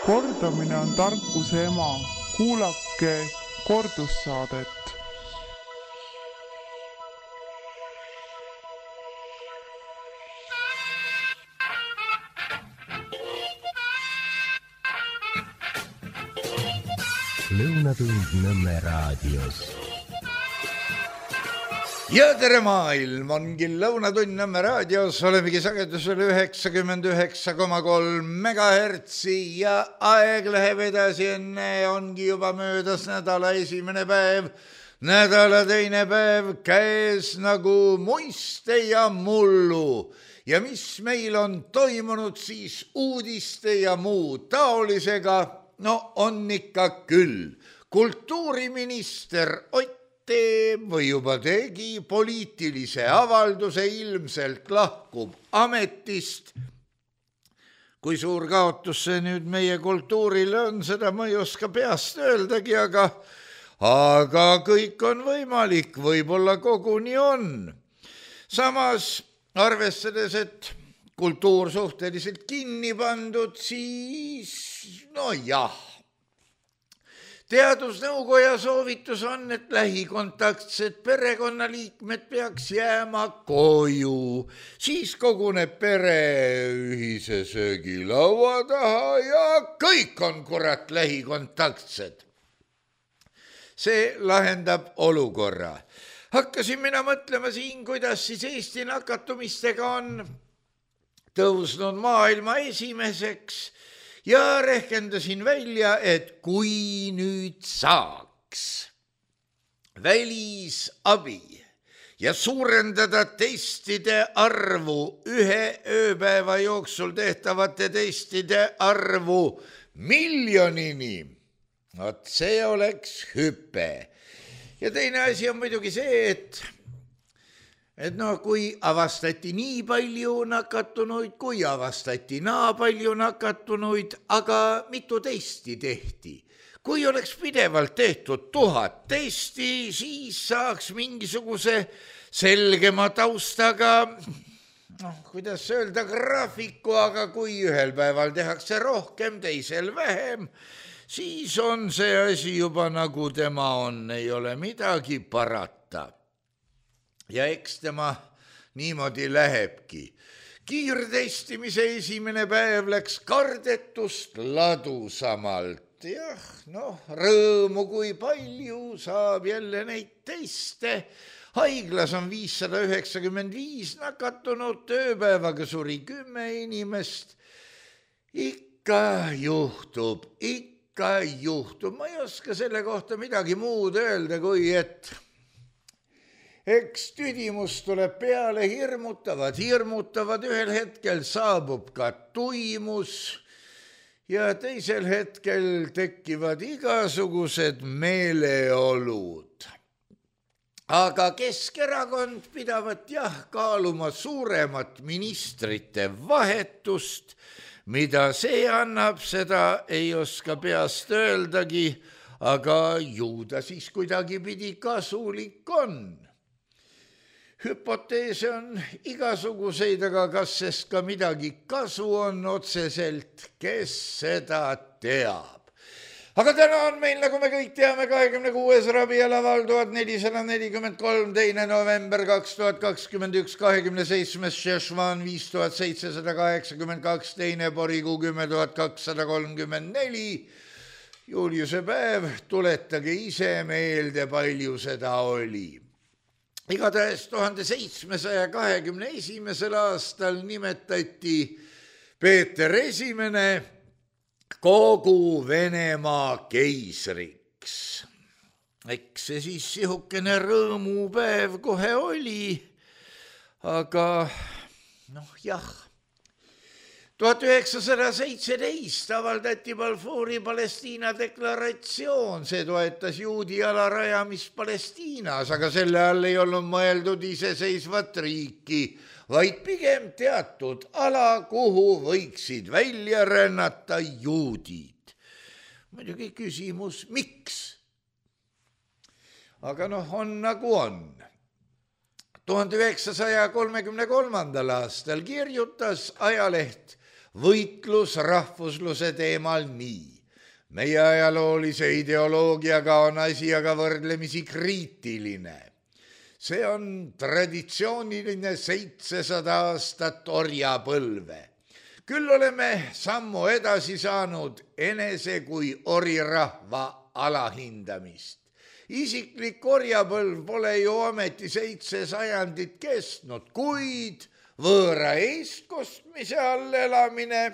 Kordamine on tarkuse ema. Kuulake kordussaadet. Lõunatund Nõmme raadios. Ja tere maailm, ongi Lõunatund Nõmme raadios, olemegi sagedusel 99,3 megahertsi ja aeg läheb edasi, enne ongi juba möödas nädala esimene päev, nädala teine päev käes nagu muiste ja mullu. Ja mis meil on toimunud siis uudiste ja muu taolisega, no on ikka küll. Kultuuriminister Ott teeb või juba tegi poliitilise avalduse, ilmselt lahkub ametist. Kui suur kaotus see nüüd meie kultuurile on, seda ma ei oska peast öeldagi, aga kõik on võimalik, võib-olla koguni on. Samas, arvestades, et kultuur suhteliselt kinni pandud, siis no jah. Teadusnõukoja soovitus on, et lähikontaktsed perekonnaliikmed peaks jääma koju. Siis koguneb pere ühise söögilaua taha ja kõik on kurat lähikontaktsed. See lahendab olukorra. Hakkasin mina mõtlema siin, kuidas siis Eesti nakatumistega on tõusnud maailma esimeseks. Ja rehkendasin välja, et kui nüüd saaks välisabi ja suurendada testide arvu, ühe ööpäeva jooksul tehtavate testide arvu miljonini, see oleks hüpe. Ja teine asi on muidugi see, et kui avastati nii palju nakatunuid, kui avastati naa palju nakatunuid, aga mitu testi tehti. Kui oleks pidevalt tehtud 1000 testi, siis saaks mingisuguse selgema taustaga, kuidas öelda, graafiku, aga kui ühel päeval tehakse rohkem, teisel vähem, siis on see asi juba nagu tema on, ei ole midagi parata. Ja eks tema niimoodi lähebki. Kiirtestimise esimene päev läks kardetust ladusamalt. Jah, rõõmu kui palju saab jälle neid teste. Haiglas on 595 nakatunut, ööpäevaga suri 10 inimest. Ikka juhtub. Ma ei oska selle kohta midagi muud öelda, kui et eks tüdimus tuleb peale, hirmutavad, ühel hetkel saabub ka tuimus ja teisel hetkel tekivad igasugused meeleolud. Aga Keskerakond pidavat kaaluma suuremat ministrite vahetust, mida see annab, seda ei oska peast öeldagi, aga ju ta siis kuidagi pidi kasulik on. Hüpoteese on igasuguseid, aga kas sest ka midagi kasu on otseselt, kes seda teab. Aga täna on meil, nagu me kõik teame, 26. rabialaval 1443, 2. november 2021, 27. Šešvan 5782, 2. porikuu 10234, Juliuse päev, tuletage ise meelde, palju seda oli. Igatahes 1721. aastal nimetati Peeter Esimene kogu Venemaa keisriks. Eks see siis sihukene rõõmupäev kohe oli, aga jah. 1917 avaldati Balfouri Palestiina deklaratsioon, see toetas juudi ala rajamist Palestiinas, aga selle all ei olnud mõeldud iseseisvat riiki, vaid pigem teatud ala, kuhu võiksid välja rännata juudid. Muidugi küsimus, miks? Aga on nagu on. 1933. aastal kirjutas ajaleht võitlus rahvusluse teemal nii. Meie ajaloolise ideoloogiaga on asi aga võrdlemisi kriitiline. See on traditsiooniline 700 aastat orjapõlve. Küll oleme sammu edasi saanud enese kui orirahva alahindamist. Isiklik orjapõlv pole ju ameti 7 sajandit kestnud, kuid võõra eestkostmise all elamine,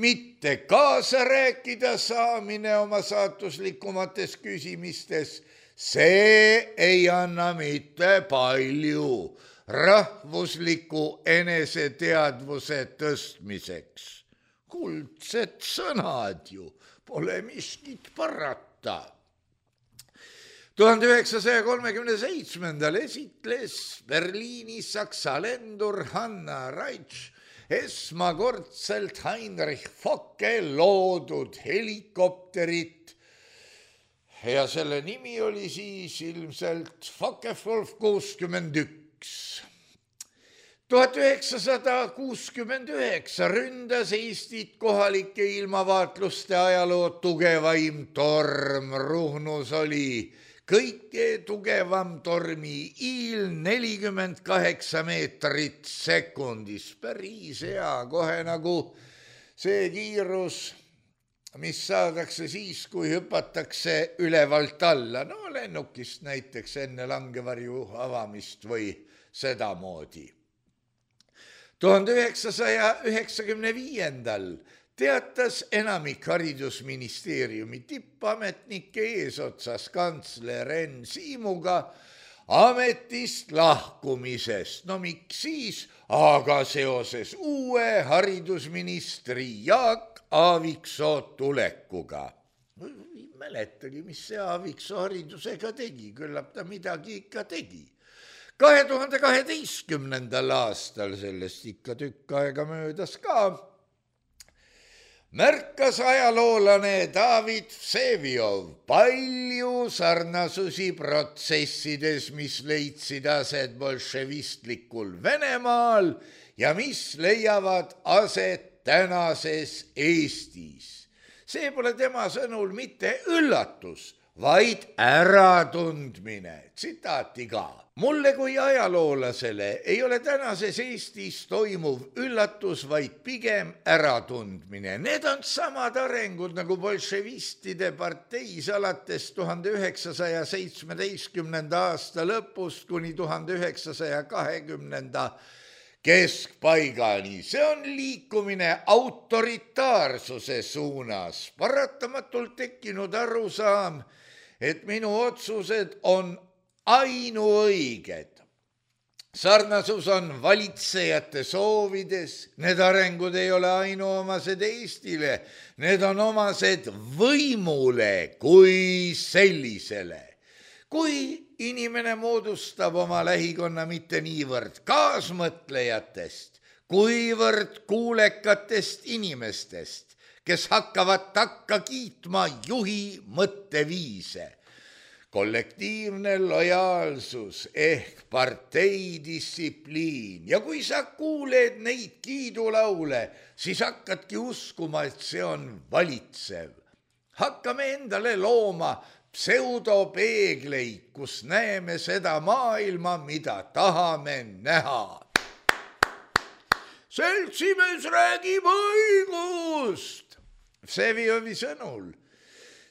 mitte kaasa rääkida saamine oma saatuslikumates küsimistes, see ei anna mitte palju rahvusliku eneseteadvuse tõstmiseks. Kuldsed sõnad ju, pole miskit parata. 1937. esitles Berliinis saksa lendur Hanna Reitsch esmakordselt Heinrich Focke loodud helikopterit ja selle nimi oli siis ilmselt Focke-Wulf 61. 1969 ründas Eestit kohalike ilmavaatluste ajaloo tugevaim torm. Ruhnus oli kõike tugevam tormi iil 48 meetrit sekundis. Päris hea, kohe nagu see kiirus, mis saadakse siis, kui hüpatakse ülevalt alla. No lennukist näiteks enne langevarju avamist või sedamoodi. 1995. teatas enamik haridusministeeriumi tippametnike eesotsas kantsler Enn Siimuga ametist lahkumisest. No miks siis, aga seoses uue haridusministri Jaak Aaviksoo tulekuga. Ei mäletagi, mis see Aaviksoo haridusega tegi, küllap ta midagi ikka tegi. 2012. aastal, sellest ikka tükk aega möödas ka, märkas ajaloolane David Vseviov palju sarnasusi protsessides, mis leidsid aset bolševistlikul Venemaal ja mis leiavad aset tänases Eestis. See pole tema sõnul mitte üllatus, vaid äratundmine. Tsitaati ka. Mulle kui ajaloolasele ei ole tänases Eestis toimuv üllatus, vaid pigem äratundmine. Need on samad arengud nagu bolševistide parteis alates 1917. aasta lõpust kuni 1920. keskpaigani. See on liikumine autoritaarsuse suunas. Paratamatult tekkinud arusaam, et minu otsused on ainuõiged. Sarnasus on valitsejate soovides. Need arengud ei ole ainuomased Eestile. Need on omased võimule kui sellisele. Kui inimene moodustab oma lähikonna mitte niivõrd kaasmõtlejatest, kuivõrd kuulekatest inimestest, kes hakkavad takka kiitma juhi mõtteviise. Kollektiivne lojaalsus ehk parteidistsipliin. Ja kui sa kuuled neid kiidulaule, siis hakkadki uskuma, et see on valitsev. Hakkame endale looma pseudopeegleid, kus näeme seda maailma, mida tahame näha. Seltsimees räägib õigust. Vseviovi sõnul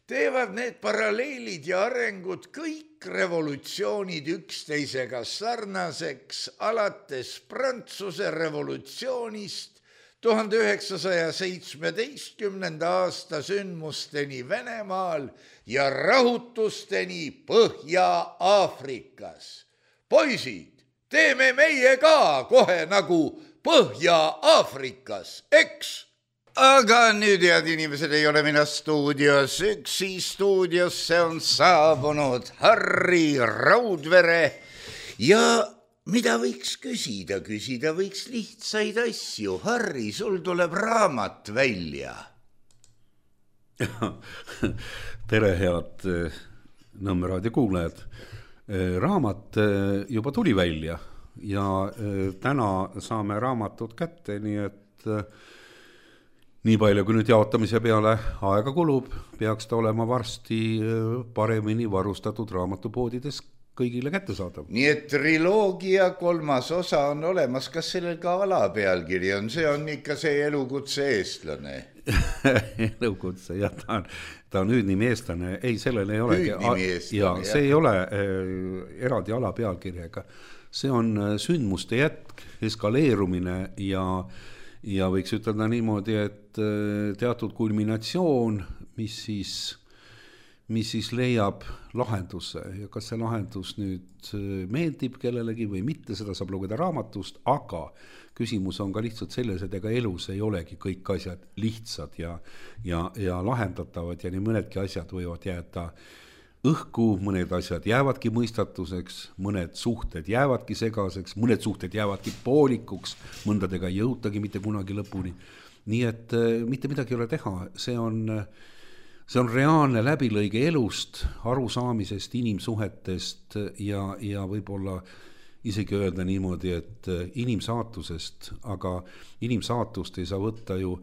teevad need paralleelid ja arengud kõik revolutsioonid üksteisega sarnaseks alates Prantsuse revolutsioonist 1917. aasta sündmusteni Venemaal ja rahutusteni Põhja-Aafrikas. Poisid, teeme meie ka kohe nagu Põhja-Aafrikas, eks? Aga nüüd, head inimesed, ei ole mina stuudios üksi. Stuudiosse on saabunud Harri Raudvere ja mida võiks küsida? Küsida võiks lihtsaid asju. Harri, sul tuleb raamat välja. Tere, head Nõmme raadio kuulajad. Raamat juba tuli välja ja täna saame raamatut kätte, nii et nii palju, kui nüüd jaotamise peale aega kulub, peaks ta olema varsti paremini varustatud raamatupoodides kõigile kättesaadav. Nii et triloogia 3. osa on olemas, kas sellel ka alapealkiri on, see on ikka see elukutse eestlane? Elukutse, jah, ta on hüüdnimi eestlane, ei, sellel ei olegi. Hüüdnimi eestlane, ja see ei ole eraldi alapealkirjaga, see on sündmuste jätk, eskaleerumine ja võiks ütelda niimoodi, et teatud kulminatsioon, mis siis leiab lahenduse ja kas see lahendus nüüd meeldib kellelegi või mitte, seda saab lugeda raamatust, aga küsimus on ka lihtsalt selles, et ega elus ei olegi kõik asjad lihtsad ja lahendatavad ja nii mõnedki asjad võivad jääda õhku, mõned asjad jäävadki mõistatuseks, mõned suhted jäävadki segaseks, mõned suhted jäävadki poolikuks, mõndadega ei jõutagi mitte kunagi lõpuni. Nii et mitte midagi ei ole teha, see on reaalne läbilõige elust, arusaamisest, inimsuhetest ja võib-olla isegi öelda niimoodi, et inimsaatusest, aga inimsaatust ei saa võtta ju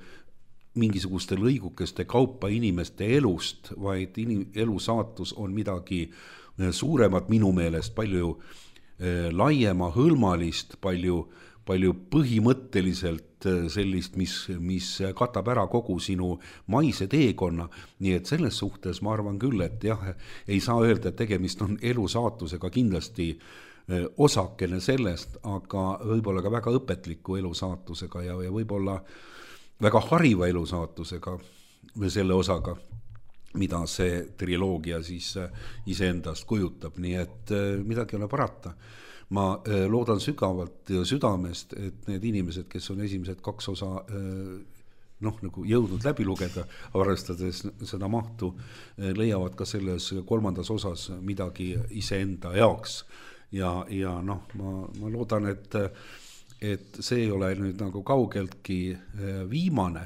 mingisuguste lõigukeste kaupa inimeste elust, vaid elusaatus on midagi suuremat minu meelest, palju laiema, hõlmalist, palju põhimõtteliselt sellist, mis katab ära kogu sinu maise teekonna. Nii et selles suhtes ma arvan küll, et jah, ei saa öelda, et tegemist on elusaatusega kindlasti osakene sellest, aga võib-olla ka väga õpetliku elusaatusega ja võib-olla väga hariva elusaatusega või selle osaga, mida see triloogia siis iseendast kujutab, nii et midagi ei ole parata. Ma loodan sügavalt ja südamest, et need inimesed, kes on esimesed 2 osa nagu jõudnud läbi lugeda, arvestades seda mahtu, leiavad ka selles 3. osas midagi iseenda jaoks. Ja ma loodan, et see ei ole nüüd nagu kaugeltki viimane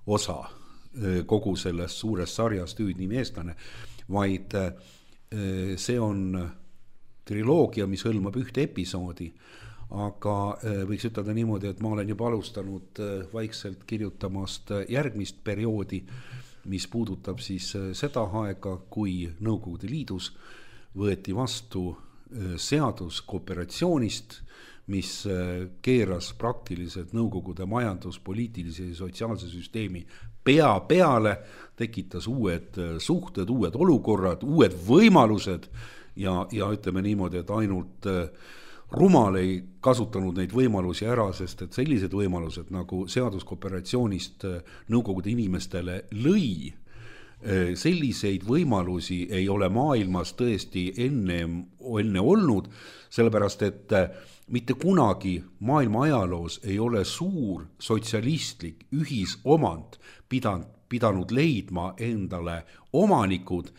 osa kogu sellest suurest sarjast hüüdnimi eestlane, vaid see on triloogia, mis hõlmab ühte episoodi, aga võiks ütelda niimoodi, et ma olen juba alustanud vaikselt kirjutamast järgmist perioodi, mis puudutab siis seda aega, kui Nõukogude Liidus võeti vastu seadus kooperatsioonist, mis keeras praktiliselt Nõukogude majanduspoliitilise ja sotsiaalse süsteemi pea peale, tekitas uued suhted, uued olukorrad, uued võimalused ja ütleme niimoodi, et ainult rumal ei kasutanud neid võimalusi ära, sest et sellised võimalused nagu seadus kooperatsioonist Nõukogude inimestele lõi, selliseid võimalusi ei ole maailmas tõesti enne olnud, sellepärast et mitte kunagi maailma ajaloos ei ole suur sotsialistlik ühisomand pidanud leidma endale omanikud.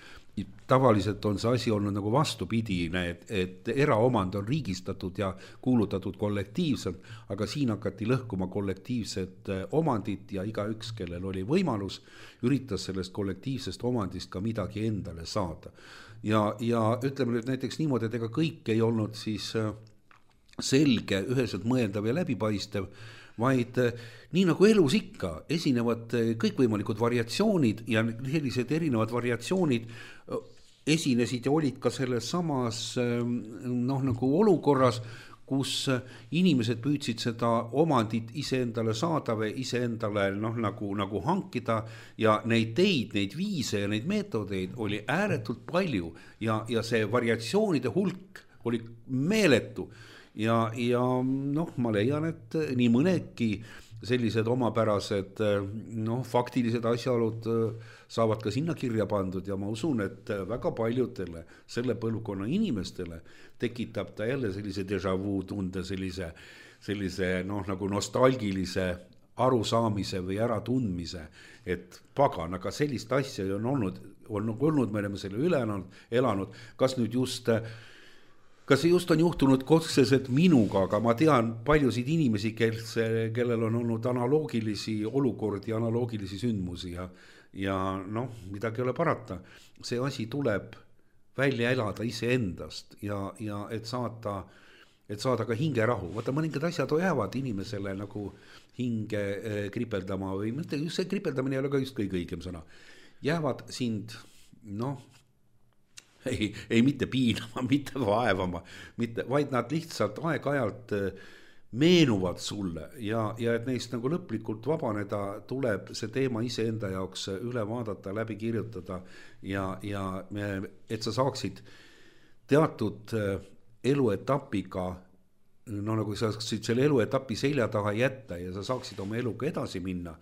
Tavaliselt on see asi olnud nagu vastupidine, et eraomand on riigistatud ja kuulutatud kollektiivselt, aga siin hakati lõhkuma kollektiivset omandit ja igaüks, kellel oli võimalus, üritas sellest kollektiivsest omandist ka midagi endale saada. Ja ütleme nüüd näiteks niimoodi, et ega kõik ei olnud siis selge, üheselt mõeldav ja läbipaistev, vaid nii nagu elus ikka esinevad kõikvõimalikud variatsioonid ja sellised erinevad variatsioonid esinesid ja olid ka selles samas nagu olukorras, kus inimesed püüdsid seda omandit iseendale saada või iseendale nagu hankida ja neid teid, neid viise ja neid meetodeid oli ääretult palju ja see variatsioonide hulk oli meeletu. Ja ma leian, et nii mõnedki sellised omapärased faktilised asjaolud saavad ka sinna kirja pandud ja ma usun, et väga paljudele selle põlvkonna inimestele tekitab ta jälle sellise déjà vu tunde, sellise nagu nostalgilise arusaamise või äratundmise, et pagan, aga sellist asja on olnud, me oleme selle üle elanud, kas see just on juhtunud otseselt minuga, aga ma tean paljusid inimesi, kellel on olnud analoogilisi olukordi, analoogilisi sündmusi ja midagi ei ole parata. See asi tuleb välja elada iseendast ja et saata et saada ka hingerahu. Vaata, mõningad asjad jäävad inimesele nagu hinge kripeldama või mitte, just see kripeldamine ei ole ka just kõige õigem sõna. Jäävad sind, ei mitte piinama, mitte vaevama, vaid nad lihtsalt aeg-ajalt meenuvad sulle ja et neist nagu lõplikult vabaneda, tuleb see teema iseenda jaoks üle vaadata, läbi kirjutada ja et sa saaksid teatud eluetapiga, nagu sa saaksid selle eluetapi selja taha jätta ja sa saaksid oma eluga edasi minna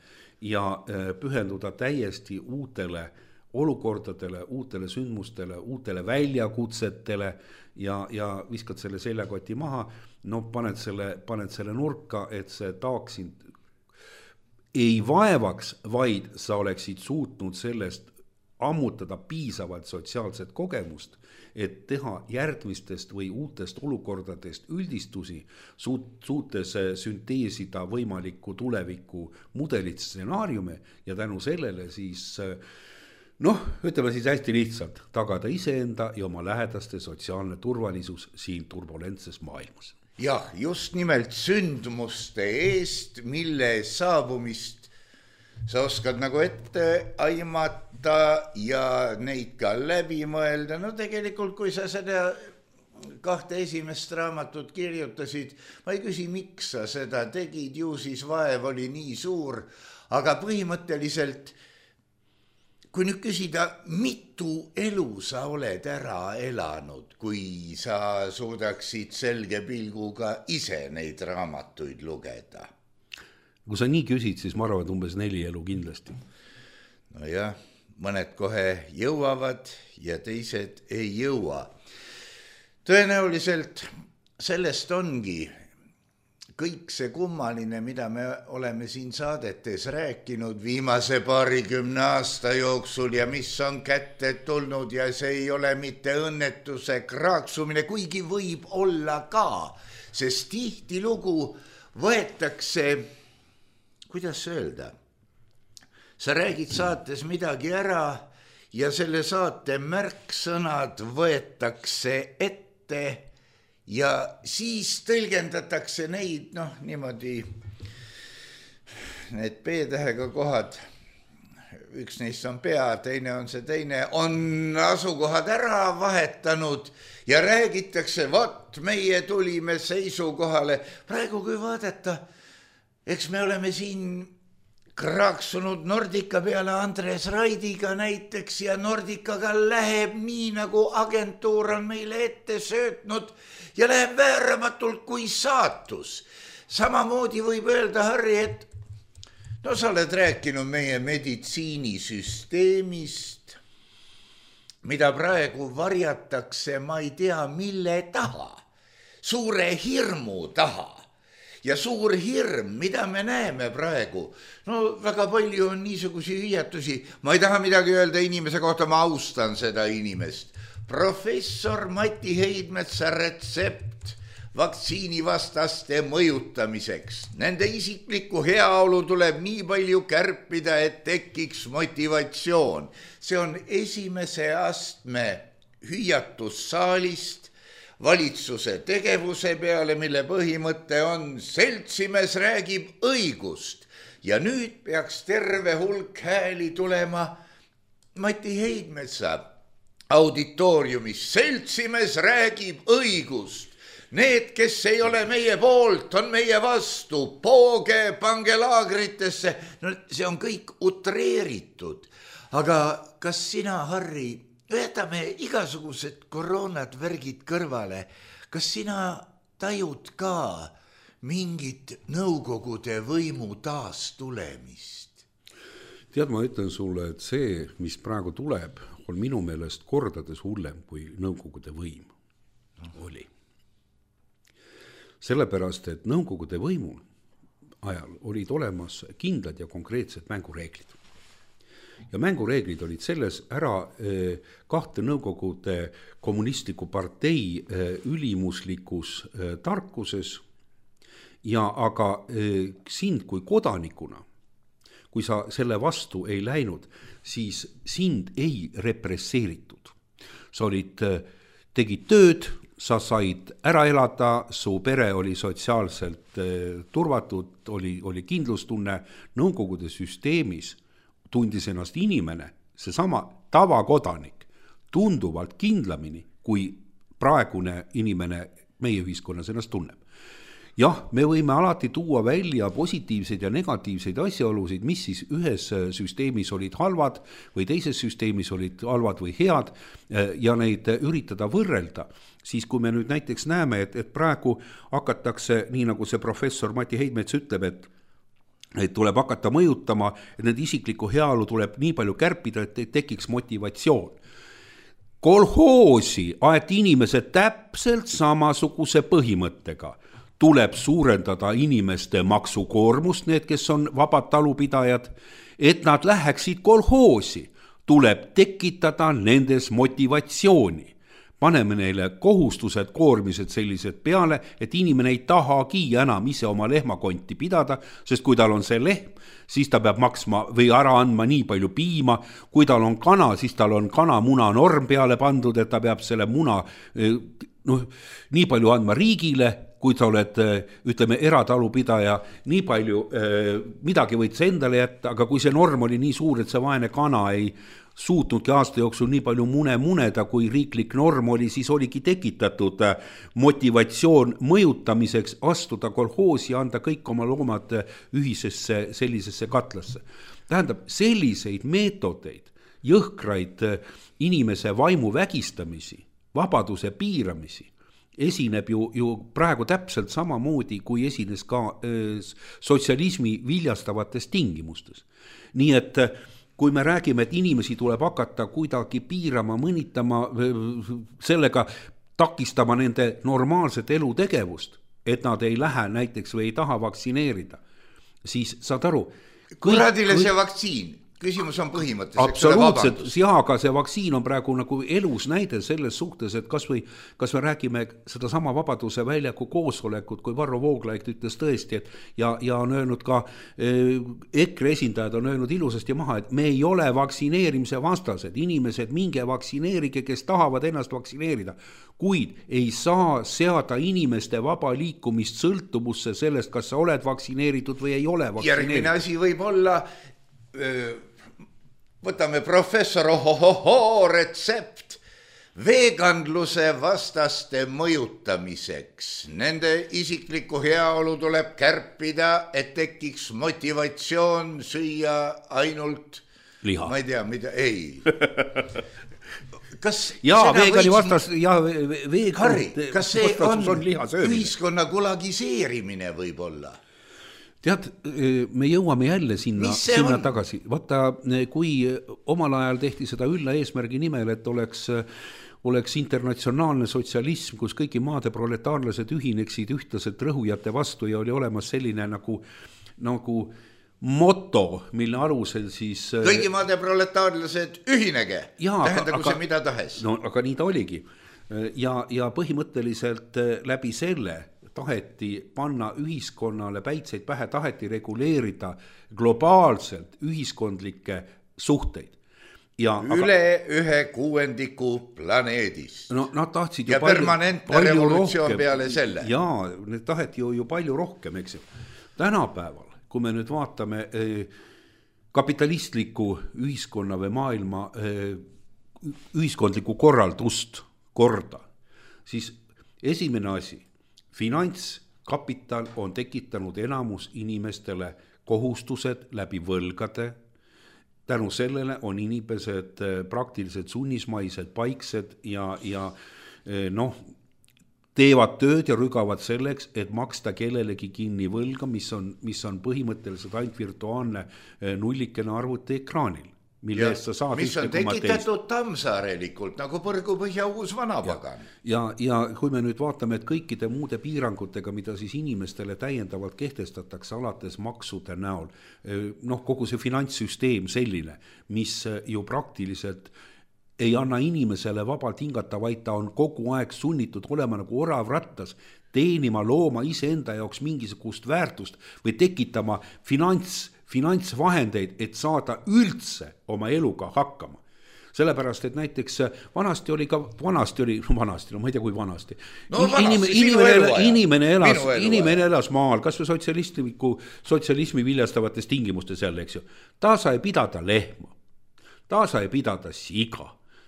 ja pühenduda täiesti uutele olukordadele, uutele sündmustele, uutele väljakutsetele ja viskad selle seljakoti maha, paned selle nurka, et see taak sind ei vaevaks, vaid sa oleksid suutnud sellest ammutada piisavalt sotsiaalset kogemust, et teha järgmistest või uutest olukordadest üldistusi, suutes sünteesida võimaliku tuleviku mudelit, stsenaariume ja tänu sellele siis ütleme siis hästi lihtsalt, tagada iseenda ja oma lähedaste sotsiaalne turvalisus siin turbulentses maailmas. Jah, just nimelt sündmuste eest, mille saabumist sa oskad nagu ette aimata ja neid ka läbi mõelda. Tegelikult, kui sa seda 2 esimest raamatut kirjutasid, ma ei küsi, miks sa seda tegid, ju siis vaev oli nii suur, aga põhimõtteliselt kui nüüd küsida, mitu elu sa oled ära elanud, kui sa suudaksid selge pilguga ise neid raamatuid lugeda? Kui sa nii küsid, siis ma arvan, et umbes 4 elu kindlasti. Nojah, mõned kohe jõuavad ja teised ei jõua. Tõenäoliselt sellest ongi kõik see kummaline, mida me oleme siin saadetes rääkinud viimase 20 aasta jooksul ja mis on kätte tulnud ja see ei ole mitte õnnetuse kraaksumine, kuigi võib olla ka, sest tihtilugu võetakse, kuidas öelda, sa räägid saates midagi ära ja selle saate märksõnad võetakse ette ja siis tõlgendatakse neid, niimoodi, need P-tähega kohad, üks neist on pea, teine on see teine, on asukohad ära vahetanud ja räägitakse, vot meie tulime seisukohale. Praegu kui vaadata, eks me oleme siin kraaksunud Nordica peale Andres Raidiga näiteks ja Nordicaga läheb nii, nagu agentuur on meile ette söötnud ja läheb vääramatult kui saatus. Samamoodi võib öelda, Harri, et sa oled rääkinud meie meditsiinisüsteemist, mida praegu varjatakse, ma ei tea, mille taha, suure hirmu taha. Ja suur hirm, mida me näeme praegu, väga palju on niisugusi hüüatusi, ma ei taha midagi öelda inimese kohta, ma austan seda inimest. Professor Mati Heidmetsa retsept vaktsiinivastaste mõjutamiseks. Nende isiklikku heaolu tuleb nii palju kärpida, et tekiks motivatsioon. See on esimese astme hüüatus saalist, valitsuse tegevuse peale, mille põhimõte on seltsimees räägib õigust ja nüüd peaks terve hulk hääli tulema Mati Heidmetsa auditooriumis. Seltsimees räägib õigust. Need, kes ei ole meie poolt, on meie vastu. Pooge, pange laagritesse. See on kõik utreeritud. Aga kas sina, Harri, võtame igasugused koroonad värgid kõrvale. Kas sina tajud ka mingit nõukogude võimu taastulemist? Tead, ma ütlen sulle, et see, mis praegu tuleb, on minu meelest kordades hullem kui nõukogude võim oli. Sellepärast, et nõukogude võimu ajal olid olemas kindlad ja konkreetsed mängureeglid. Ja mängureeglid olid selles ära 2 nõukogude kommunistliku partei ülimuslikus tarkuses ja aga sind kui kodanikuna, kui sa selle vastu ei läinud, siis sind ei represseeritud. Sa tegid tööd, sa said ära elada, su pere oli sotsiaalselt turvatud, oli kindlustunne, Nõukogude süsteemis tundis ennast inimene, seesama tavakodanik, tunduvalt kindlamini, kui praegune inimene meie ühiskonnas ennast tunneb. Jah, me võime alati tuua välja positiivseid ja negatiivseid asjaolusid, mis siis ühes süsteemis olid halvad või teises süsteemis olid halvad või head ja neid üritada võrrelda. Siis kui me nüüd näiteks näeme, et praegu hakatakse, nii nagu see professor Mati Heidmets ütleb, et tuleb hakata mõjutama, et need isiklikku heaolu tuleb nii palju kärpida, et tekiks motivatsioon. Kolhoosi aeti inimesed täpselt samasuguse põhimõttega. Tuleb suurendada inimeste maksukoormust, need, kes on vabad talupidajad, et nad läheksid kolhoosi. Tuleb tekitada nendes motivatsiooni. Paneme neile kohustused, koormised sellised peale, et inimene ei tahagi enam ise oma lehmakonti pidada, sest kui tal on see lehm, siis ta peab maksma või ära andma nii palju piima, kui tal on kana, siis tal on kanamuna norm peale pandud, et ta peab selle muna nii palju andma riigile, kui sa oled, ütleme, eratalupidaja, nii palju midagi võid sa endale jätta, aga kui see norm oli nii suur, et see vaene kana ei suutnudki aasta jooksul nii palju muneda, kui riiklik norm oli, siis oligi tekitatud motivatsioon mõjutamiseks astuda kolhoosi ja anda kõik oma loomad ühisesse sellisesse katlasse. Tähendab, selliseid meetodeid, jõhkraid inimese vaimu vägistamisi, vabaduse piiramisi, esineb ju praegu täpselt samamoodi, kui esines ka sotsialismi viljastavates tingimustes. Nii et kui me räägime, et inimesi tuleb hakata kuidagi piirama, mõnitama, sellega takistama nende normaalset elutegevust, et nad ei lähe näiteks või ei taha vaktsineerida, siis saad aru. Kuradile see vaktsiin. Küsimus on põhimõttes. Absoluutselt, aga see vaktsiin on praegu nagu elus näide selles suhtes, et kas me räägime seda sama Vabaduse väljaku koosolekut, kui Varro Vooglaid ütles tõesti, et ja on öelnud ka, EKRE esindajad on öelnud ilusasti maha, et me ei ole vaktsineerimise vastased, inimesed minge vaktsineerige, kes tahavad ennast vaktsineerida, kuid ei saa seada inimeste vaba liikumist sõltuvusse sellest, kas sa oled vaktsineeritud või ei ole vaktsineeritud. Järgmine asi võib olla võtame professor retsept veganluse vastaste mõjutamiseks. Nende isiklikku heaolu tuleb kärpida, et tekiks motivatsioon süüa ainult liha. Ma ei tea, mida, ei. Kas see on ühiskonna kulagiseerimine võib olla? Tead, me jõuame jälle sinna tagasi. Vaata, kui omal ajal tehti seda ülla eesmärgi nimel, et oleks internatsionaalne sotsialism, kus kõigi maade proletaarlased ühineksid ühtlaselt rõhujate vastu ja oli olemas selline nagu moto, mille alusel siis kõigi maade proletaarlased ühinege, tähendagu see mida tahes. No, aga nii ta oligi. Ja põhimõtteliselt läbi selle taheti panna ühiskonnale päitseid pähe, taheti reguleerida globaalselt ühiskondlikke suhteid. Üle 1/6 planeedist. No, nad tahtsid ja permanentne revolutsioon peale selle. Jaa, need taheti ju palju rohkem, eks ju. Tänapäeval, kui me nüüd vaatame kapitalistliku ühiskonna või maailma ühiskondliku korda, siis esimene asi, finantskapital on tekitanud enamus inimestele kohustused läbi võlgade. Tänu sellele on inimesed praktiliselt sunnismaised, paiksed ja teevad tööd ja rügavad selleks, et maksta kellelegi kinni võlga, mis on põhimõtteliselt ainult virtuaalne nullikene arvuti ekraanil. Mis on tekitatud Tammsaarelikult nagu põrgupõhja uus vanapagan. Ja kui me nüüd vaatame, et kõikide muude piirangutega, mida siis inimestele täiendavalt kehtestatakse alates maksude näol, kogu see finantssüsteem selline, mis ju praktiliselt ei anna inimesele vabalt hingata, vaid ta on kogu aeg sunnitud olema nagu orav rattas, teenima, looma iseenda jaoks mingisugust väärtust või tekitama finantsvahendeid, et saada üldse oma eluga hakkama. sellepärast, et näiteks vanasti oli, ma ei tea kui vanasti. No Inimene elas maal, kas või sotsialismi viljastavates tingimustes jälle, eks ju. Ta sai pidada lehma, ta sai pidada siga,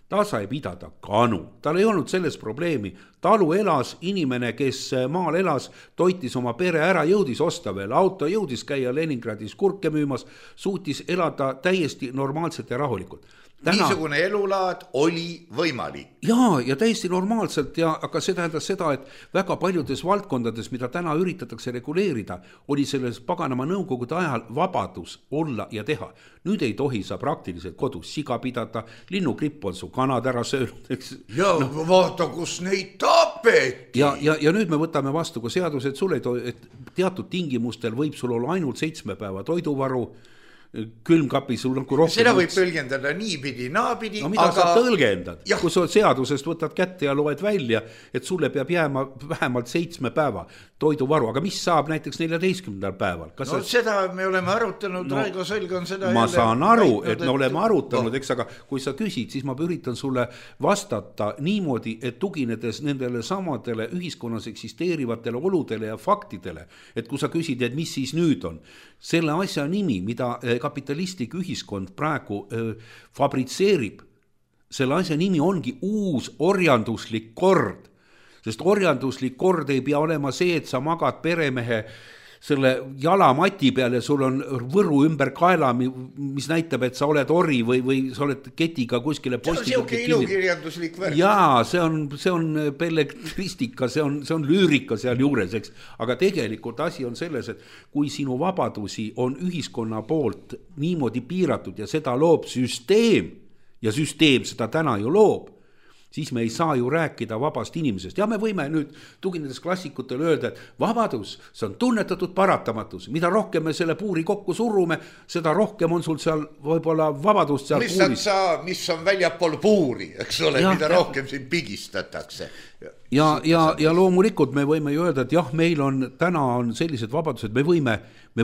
ta sai pidada kanu, tal ei olnud selles probleemi, talu elas, inimene, kes maal elas, toitis oma pere ära, jõudis osta veel auto, jõudis käia Leningradis kurke müümas, suutis elada täiesti normaalselt ja rahulikult. Niisugune elulaad oli võimalik. Ja täiesti normaalselt, aga see tähendas seda, et väga paljudes valdkondades, mida täna üritatakse reguleerida, oli selles paganama nõukogude ajal vabadus olla ja teha. Nüüd ei tohi sa praktiliselt kodus siga pidada, linnukripp on su kanad ära söönud. Ja vaata, kus neid tapeti. Ja nüüd me võtame vastu ka seadus, et teatud tingimustel võib sul olla ainult 7 päeva toiduvaru, külmkapi sul nagu rohkem. Seda võib tõlgendada niipidi, naapidi. No mida sa tõlgendad? Kui sa seadusest võtad kätte ja loed välja, et sulle peab jääma vähemalt 7 päeva toiduvaru, aga mis saab näiteks 14. päeval? Seda me oleme arutanud, Raigo Sõlg on seda ma saan aru, et me oleme arutanud, eks, aga kui sa küsid, siis ma üritan sulle vastata niimoodi, et tuginedes nendele samadele ühiskonnas eksisteerivatele oludele ja faktidele, et kui sa küsid, et mis siis nüüd on, selle asja nimi, mida kapitalistlik ühiskond praegu fabritseerib, selle asja nimi ongi uus orjanduslik kord, sest orjanduslik kord ei pea olema see, et sa magad peremehe selle jalamati peal ja sul on võru ümber kaela, mis näitab, et sa oled ori või sa oled ketiga kuskile postiga. See on siuke ilukirjanduslik värk. Jaa, see on belletristika, see on lüürika seal juures, eks. Aga tegelikult asi on selles, et kui sinu vabadusi on ühiskonna poolt niimoodi piiratud ja seda loob süsteem, ja süsteem seda täna ju loob, siis me ei saa ju rääkida vabast inimesest. Ja me võime nüüd tuginedes klassikutele öelda, et vabadus, see on tunnetatud paratamatus. Mida rohkem me selle puuri kokku surume, seda rohkem on sul seal võib-olla vabadust seal puuris. Mis on väljapool puuri, eks ole, mida rohkem siin pigistatakse. Ja loomulikult me võime ju öelda, et jah, meil on täna on sellised vabadused, me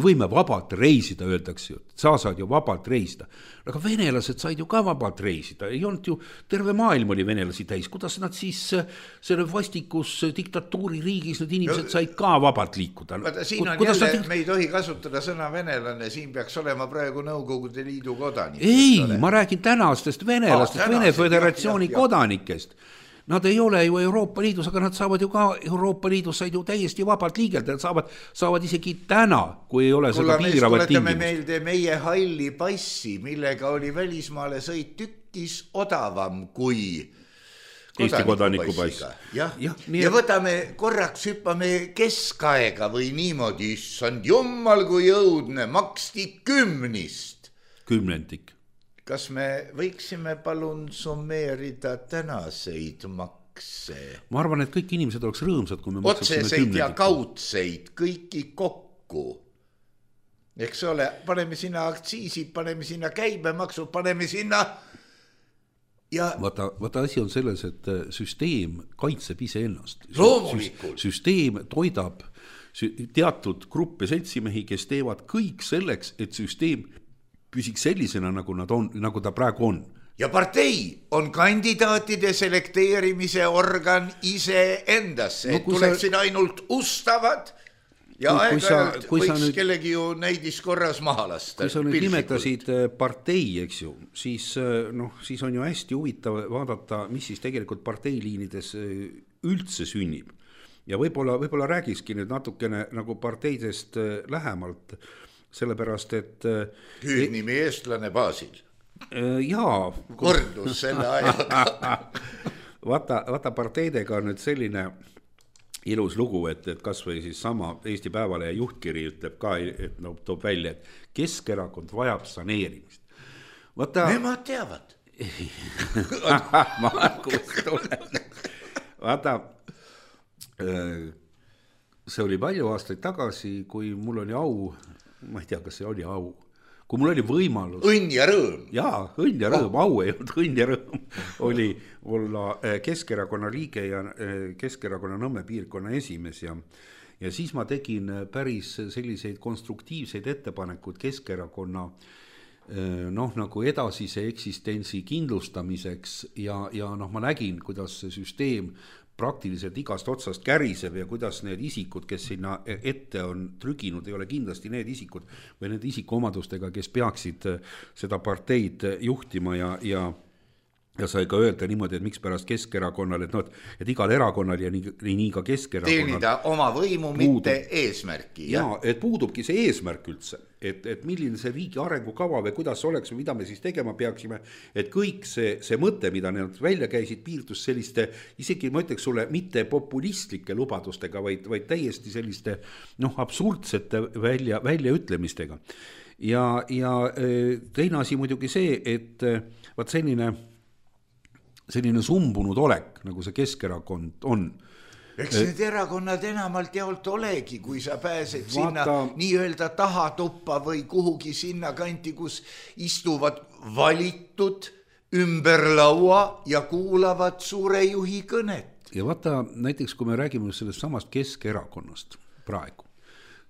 võime vabalt reisida, öeldakse ju, sa saad ju vabalt reisida. Aga venelased said ju ka vabalt reisida, ei olnud ju, terve maailm oli venelasi täis, kuidas nad siis selle vastikus diktatuuri riigis, need inimesed said ka vabalt liikuda. Siin on jälle, me ei tohi kasutada sõna venelane, siin peaks olema praegu Nõukogude Liidu kodanik. Ei, ma räägin tänastest venelastest, Vene Föderatsiooni kodanikest. Nad ei ole ju Euroopa Liidus, aga nad saavad ju ka Euroopa Liidus said ju täiesti vabalt liigelda, saavad isegi täna, kui ei ole seda piiravat tingimust. Tuletame meelde meie halli passi, millega oli välismaale sõit tükkis odavam kui Eesti kodaniku pass. Ja võtame korraks, hüppame keskaega või niimoodi, issand jummal kui jõudne, maksti 10. Kümnendik. Kas me võiksime palun summeerida tänaseid makse? Ma arvan, et kõik inimesed oleks rõõmsad, kui me maksaksime 10. Otseseid ja kaudseid, kõiki kokku. Eks ole, paneme sinna aktsiisid, paneme sinna käibemaksu, paneme sinna... Ja... Vaata asi on selles, et süsteem kaitseb ise ennast. Loomulikult. Süsteem toidab teatud gruppe seltsimehi, kes teevad kõik selleks, et süsteem püsiks sellisena, nagu ta praegu on. Ja partei on kandidaatide selekteerimise organ ise endasse, et tuleksid ainult ustavad ja aeg-ajalt võiks kellegi ju neidis korras maha lasta. Kui sa nüüd nimetasid partei, eks ju, siis on ju hästi huvitav vaadata, mis siis tegelikult parteiliinides üldse sünnib. Ja võib-olla räägikski nüüd natukene nagu parteidest lähemalt, sellepärast, et... Hüüdnimi eestlane baasil. Jaa. Kordus selle ajaga. Vaata parteidega on nüüd selline ilus lugu, et kas või siis sama Eesti Päevalehe juhtkiri ütleb ka, et toob välja, et Keskerakond vajab saneerimist. Nemad teavad. Vaata, see oli palju aastaid tagasi, kui mul oli au, ma ei tea, kas see oli au, kui mul oli võimalus... Õnn ja rõõm. Jaa, õnn ja rõõm, au ei olnud, õnn ja rõõm oli olla Keskerakonna liige ja Keskerakonna Nõmme piirkonna esimees ja siis ma tegin päris selliseid konstruktiivseid ettepanekud Keskerakonna noh, nagu edasise eksistentsi kindlustamiseks ja noh, ma nägin, kuidas see süsteem praktiliselt igast otsast käriseb ja kuidas need isikud, kes sinna ette on trüginud, ei ole kindlasti need isikud või need isikuomadustega, kes peaksid seda parteid juhtima ja sai ka öelda niimoodi, et miks pärast Keskerakonnal, et igal erakonnal ja nii ka Keskerakonnal teenida oma võimu, mitte eesmärki. Ja, et puudubki see eesmärk üldse, et milline see riigi arengukava või kuidas oleks või mida me siis tegema peaksime, et kõik see mõte, mida nad välja käisid, piirdus selliste, isegi ma ütleks sulle, mitte populistlike lubadustega, vaid täiesti selliste absurdsete väljaütlemistega. Ja teine asi muidugi see, et vaat selline sumbunud olek, nagu see Keskerakond on. Eks need erakonnad enamalt jaolt olegi, kui sa pääsed sinna nii-öelda tahatuppa või kuhugi sinna kanti, kus istuvad valitud ümber laua ja kuulavad suure juhi kõnet. Ja vaata, näiteks kui me räägime sellest samast Keskerakonnast praegu,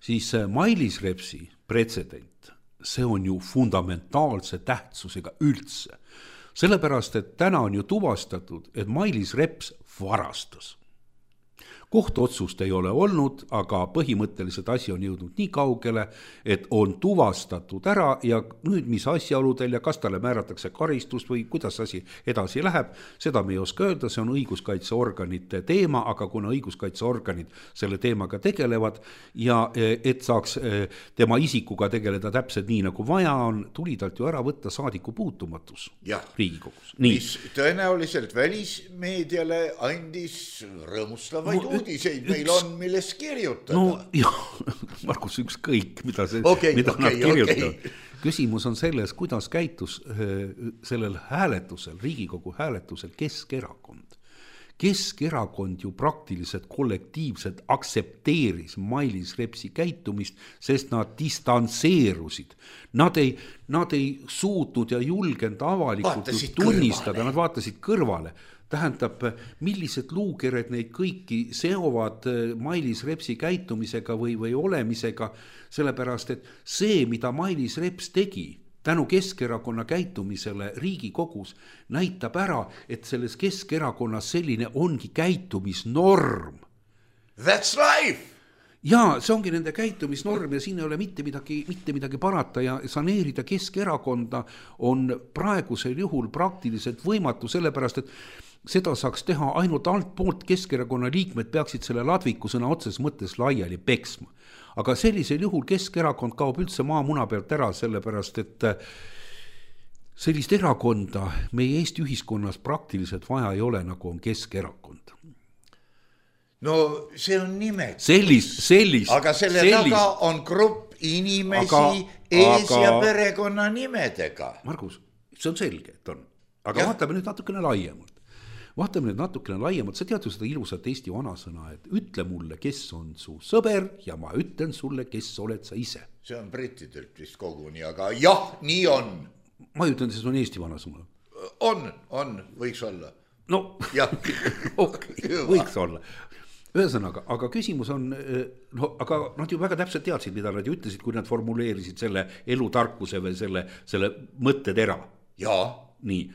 siis Mailis Repsi pretsedent, see on ju fundamentaalse tähtsusega üldse. Sellepärast, et täna on ju tuvastatud, et Mailis Reps varastas. Kohtuotsust ei ole olnud, aga põhimõtteliselt asi on jõudnud nii kaugele, et on tuvastatud ära ja nüüd mis asjaoludel ja kas talle määratakse karistust või kuidas asi edasi läheb, seda me ei oska öelda, see on õiguskaitseorganite teema, aga kuna õiguskaitseorganid selle teemaga tegelevad ja et saaks tema isikuga tegeleda täpselt nii nagu vaja on, tuli talt ju ära võtta saadiku puutumatus Riigikogus. Mis tõenäoliselt välismeediale andis rõõmustavaid uudiseid meil on, milles kirjutada. No jah, Markus, ükskõik, mida nad kirjutavad. Küsimus on selles, kuidas käitus sellel hääletusel, Riigikogu hääletusel Keskerakond. Keskerakond ju praktiliselt kollektiivselt aksepteeris Mailis Repsi käitumist, sest nad distantseerusid. Nad ei suutnud ja julgenud avalikult tunnistada, nad vaatasid kõrvale. Tähendab, millised luukered neid kõiki seovad Mailis Repsi käitumisega või olemisega, sellepärast, et see, mida Mailis Reps tegi tänu Keskerakonna käitumisele Riigikogus, näitab ära, et selles Keskerakonnas selline ongi käitumisnorm. That's life! Ja see ongi nende käitumisnorm ja siin ei ole mitte midagi parata ja saneerida Keskerakonda on praegusel juhul praktiliselt võimatu, sellepärast, et seda saaks teha ainult altpoolt. Keskerakonna liikmed peaksid selle ladviku sõna otses mõttes laiali peksma. Aga sellisel juhul Keskerakond kaob üldse maamuna pealt ära, sellepärast et sellist erakonda meie Eesti ühiskonnas praktiliselt vaja ei ole, nagu on Keskerakond. No see on nimed. Sellist. Aga selle taga on grupp inimesi ja perekonna nimedega. Margus, see on selge, et on. Aga vaatame nüüd natukene laiemalt. Sa tead ju seda ilusat Eesti vanasõna, et ütle mulle, kes on su sõber ja ma ütlen sulle, kes oled sa ise. See on brittidelt vist koguni, aga jah, nii on. Ma ütlen, see on Eesti vanasõna. On, võiks olla. No, okay, võiks olla. Ühesõnaga, aga küsimus on, aga nad ju väga täpselt teadsid, mida nad ju ütlesid, kui nad formuleerisid selle elutarkuse või selle mõttetera. Jaa. Nii.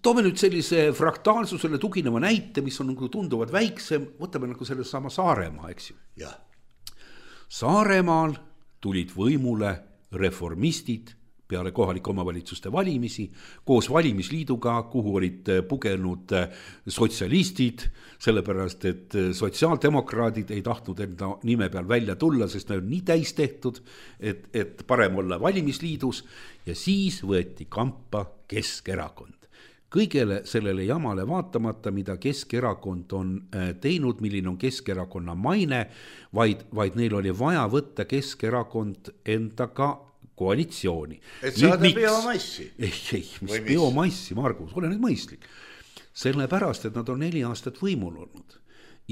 Toome nüüd sellise fraktaalsusele tugineva näite, mis on nagu tunduvad väiksem, võtame nagu selle sama Saaremaa, eks ju. Ja. Saaremaal tulid võimule reformistid peale kohalike omavalitsuste valimisi, koos valimisliiduga, kuhu olid pugenud sotsialistid, sellepärast, et sotsiaaldemokraadid ei tahtnud enda nime peal välja tulla, sest nad on nii täis tehtud, et parem olla valimisliidus ja siis võeti kampa Keskerakond. Kõigele sellele jamale vaatamata, mida Keskerakond on teinud, milline on Keskerakonna maine, vaid neil oli vaja võtta Keskerakond endaga koalitsiooni. Et saada biomassi. Ei, mis biomassi, Margus, ole nüüd mõistlik. Sellepärast, et nad on 4 aastat võimul olnud.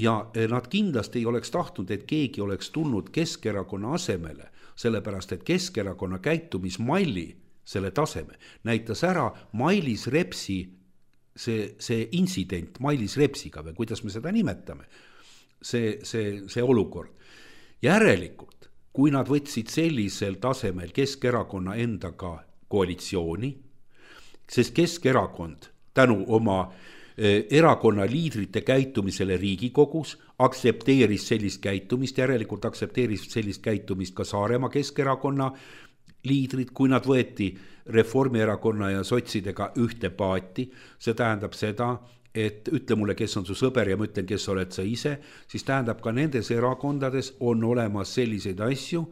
Ja nad kindlasti ei oleks tahtnud, et keegi oleks tulnud Keskerakonna asemele, sellepärast, et Keskerakonna käitumismalli, selle taseme, näitas ära Mailis Repsi, see intsident Mailis Repsiga või kuidas me seda nimetame, see olukord. Järelikult kui nad võtsid sellisel tasemel Keskerakonna endaga koalitsiooni, sest Keskerakond tänu oma erakonna liidrite käitumisele Riigikogus aktsepteeris sellist käitumist, järelikult aktsepteeris sellist käitumist ka Saaremaa Keskerakonna liidrid, kui nad võeti Reformierakonna ja sotsidega ühte paati, see tähendab seda, et ütle mulle, kes on su sõber ja ma ütlen, kes oled sa ise, siis tähendab ka nendes erakondades on olemas selliseid asju,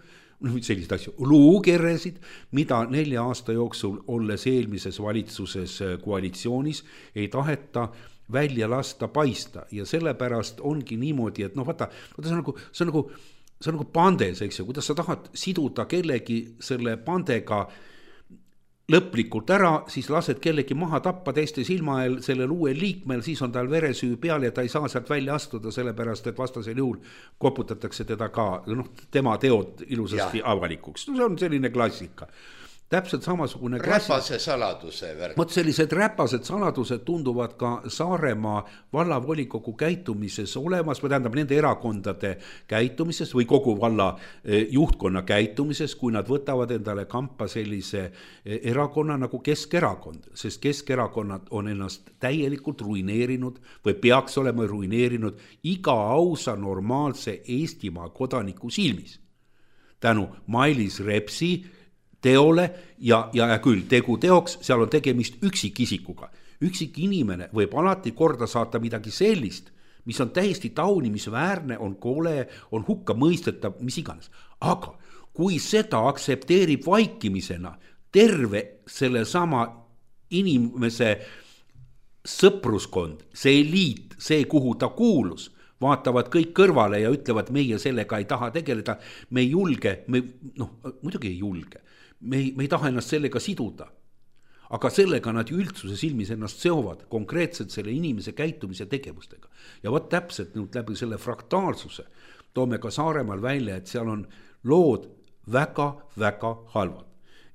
luukeresid, mida 4 aasta jooksul, olles eelmises valitsuses koalitsioonis, ei taheta välja lasta paista ja sellepärast ongi niimoodi, et vaata, see on nagu pandes, eks ju, kuidas sa tahad siduda kellegi selle pandega lõplikult ära, siis lased kellegi maha tappa teiste silma eel sellel uuel liikmel, siis on tal veresüü peal ja ta ei saa sealt välja astuda, sellepärast et vastasel juhul koputatakse teda ka, tema teod ilusasti avalikuks. See on selline klassika. Täpselt samasugune räpase saladuse värk. Vot sellised räpased saladused tunduvad ka Saaremaa vallavolikogu käitumises olemas, või tähendab nende erakondade käitumises või kogu valla juhtkonna käitumises, kui nad võtavad endale kampa sellise erakonna nagu Keskerakond, sest Keskerakonnad on ennast täielikult ruineerinud või peaks olema ruineerinud iga ausa normaalse Eestimaa kodaniku silmis. Tänu Mailis Repsi teole ja küll tegu teoks, seal on tegemist üksikisikuga. Üksik inimene võib alati korda saata midagi sellist, mis on täiesti taunimisväärne, on kole, on hukka mõistetav, mis iganes. Aga kui seda aktsepteerib vaikimisena terve selle sama inimese sõpruskond, see eliit, see kuhu ta kuulus, vaatavad kõik kõrvale ja ütlevad, meie sellega ei taha tegeleda, me ei julge, muidugi ei julge. Me ei taha ennast sellega siduda, aga sellega nad ju üldsuse silmis ennast seovad konkreetselt selle inimese käitumise tegevustega. Ja võt täpselt nüüd läbi selle fraktaalsuse toome ka Saaremaal välja, et seal on lood väga-väga halvad.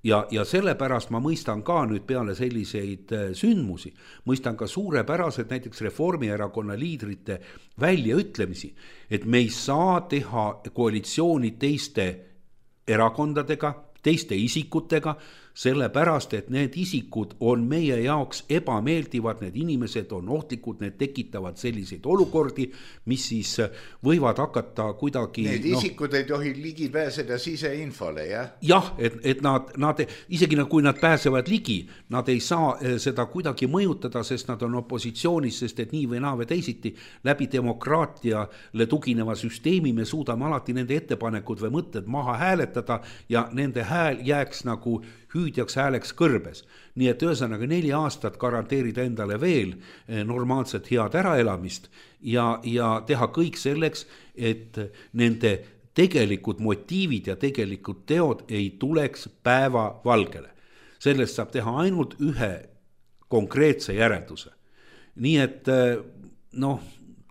Ja sellepärast ma mõistan ka nüüd peale selliseid sündmusi, mõistan ka suurepäraselt näiteks Reformierakonna liidrite väljaütlemisi, et me ei saa teha koalitsiooni teiste erakondadega, teiste isikutega, sellepärast, et need isikud on meie jaoks ebameeldivad, need inimesed on ohtlikud, need tekitavad selliseid olukordi, mis siis võivad hakata kuidagi... Need isikud ei tohi ligi pääseda siseinfole, jah? Jah, et nad isegi kui nad pääsevad ligi, nad ei saa seda kuidagi mõjutada, sest nad on opositsioonis, sest et nii või naa või teisiti läbi demokraatiale tugineva süsteemi me suudame alati nende ettepanekud või mõtted maha hääletada ja nende hääl jääks nagu hüüdjaks hääleks kõrbes. Nii et ühesõnaga 4 aastat garanteerida endale veel normaalset head äraelamist ja teha kõik selleks, et nende tegelikud motiivid ja tegelikud teod ei tuleks päeva valgele. Sellest saab teha ainult ühe konkreetse järelduse. Nii et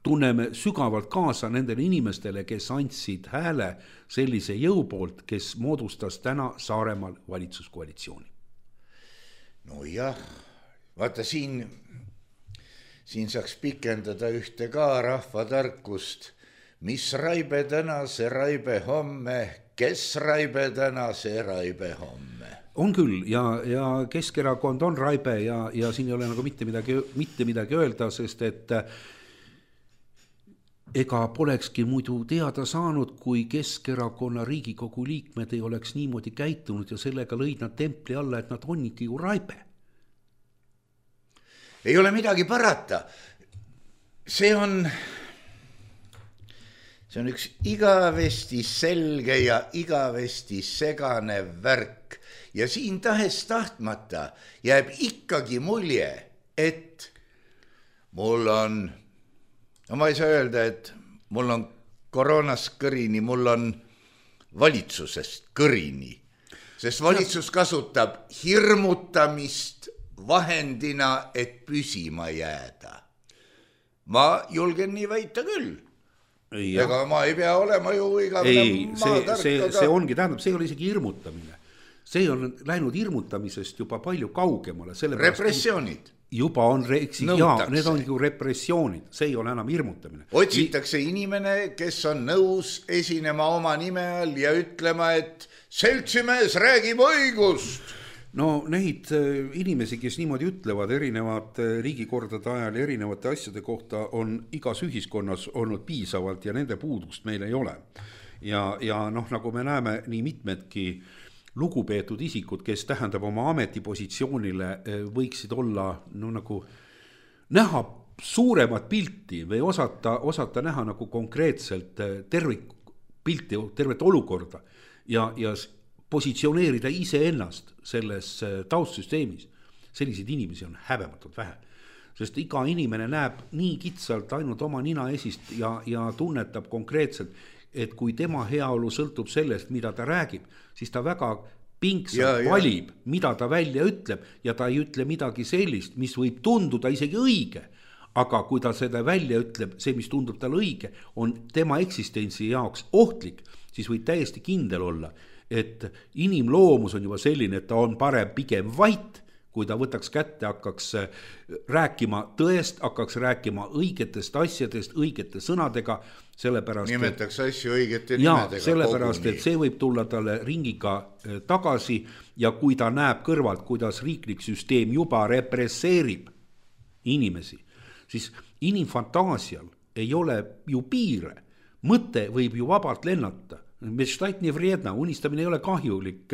tunneme sügavalt kaasa nendele inimestele, kes andsid hääle sellise jõu poolt, kes moodustas täna Saaremaal valitsuskoalitsiooni. No jah, vaata siin saaks pikendada ühte ka rahvatarkust. Mis raibe täna, see raibe homme, kes raibe täna, see raibe homme. On küll ja Keskerakond on raibe ja siin ei ole nagu mitte midagi öelda, sest et ega polekski muidu teada saanud, kui Keskerakonna Riigikogu liikmed ei oleks niimoodi käitunud ja sellega lõid nad templi alla, et nad on ikka ju raibe. Ei ole midagi parata. See on üks igavesti selge ja igavesti segane värk. Ja siin tahes tahtmata jääb ikkagi mulje, et mul on... No ma ei saa öelda, et mul on koroonast kõrini, mul on valitsusest kõrini, sest valitsus kasutab hirmutamist vahendina, et püsima jääda. Ma julgen nii väita küll. Ega ma ei pea olema ju igavene maatark. See ongi, tähendab, see ei ole isegi hirmutamine. See on läinud hirmutamisest juba palju kaugemale. Repressioonid. juba on need on ju repressioonid, see ei ole enam hirmutamine. Otsitakse inimene, kes on nõus esinema oma nime all ja ütlema, et seltsimees räägib õigust. No neid inimesi, kes niimoodi ütlevad erinevad riigikordade ajal ja erinevate asjade kohta, on igas ühiskonnas olnud piisavalt ja nende puudust meil ei ole. Ja nagu me näeme, nii mitmedki lugupeetud isikud, kes tähendab oma ametipositsioonile, võiksid olla nagu näha suuremat pilti või osata näha nagu konkreetselt tervikpilti, tervet olukorda ja positsioneerida iseennast selles taustsüsteemis. Selliseid inimesi on häbematult vähe. Sest iga inimene näeb nii kitsalt ainult oma nina esist ja tunnetab konkreetselt, et kui tema heaolu sõltub sellest, mida ta räägib, siis ta väga pingsalt valib, mida ta välja ütleb ja ta ei ütle midagi sellist, mis võib tunduda isegi õige. Aga kui ta seda välja ütleb, see, mis tundub tal õige, on tema eksistentsi jaoks ohtlik, siis võib täiesti kindel olla, et inimloomus on juba selline, et ta on parem pigem vait, kui ta võtaks kätte, hakkaks rääkima tõest, hakkaks rääkima õigetest asjadest, õigete sõnadega, sellepärast, nimetaks asju õigete nimedega. Sellepärast, et see võib tulla talle ringiga tagasi ja kui ta näeb kõrvalt, kuidas riiklik süsteem juba represseerib inimesi, siis inimfantaasial ei ole ju piire. Mõte võib ju vabalt lennata. Unistamine ei ole kahjulik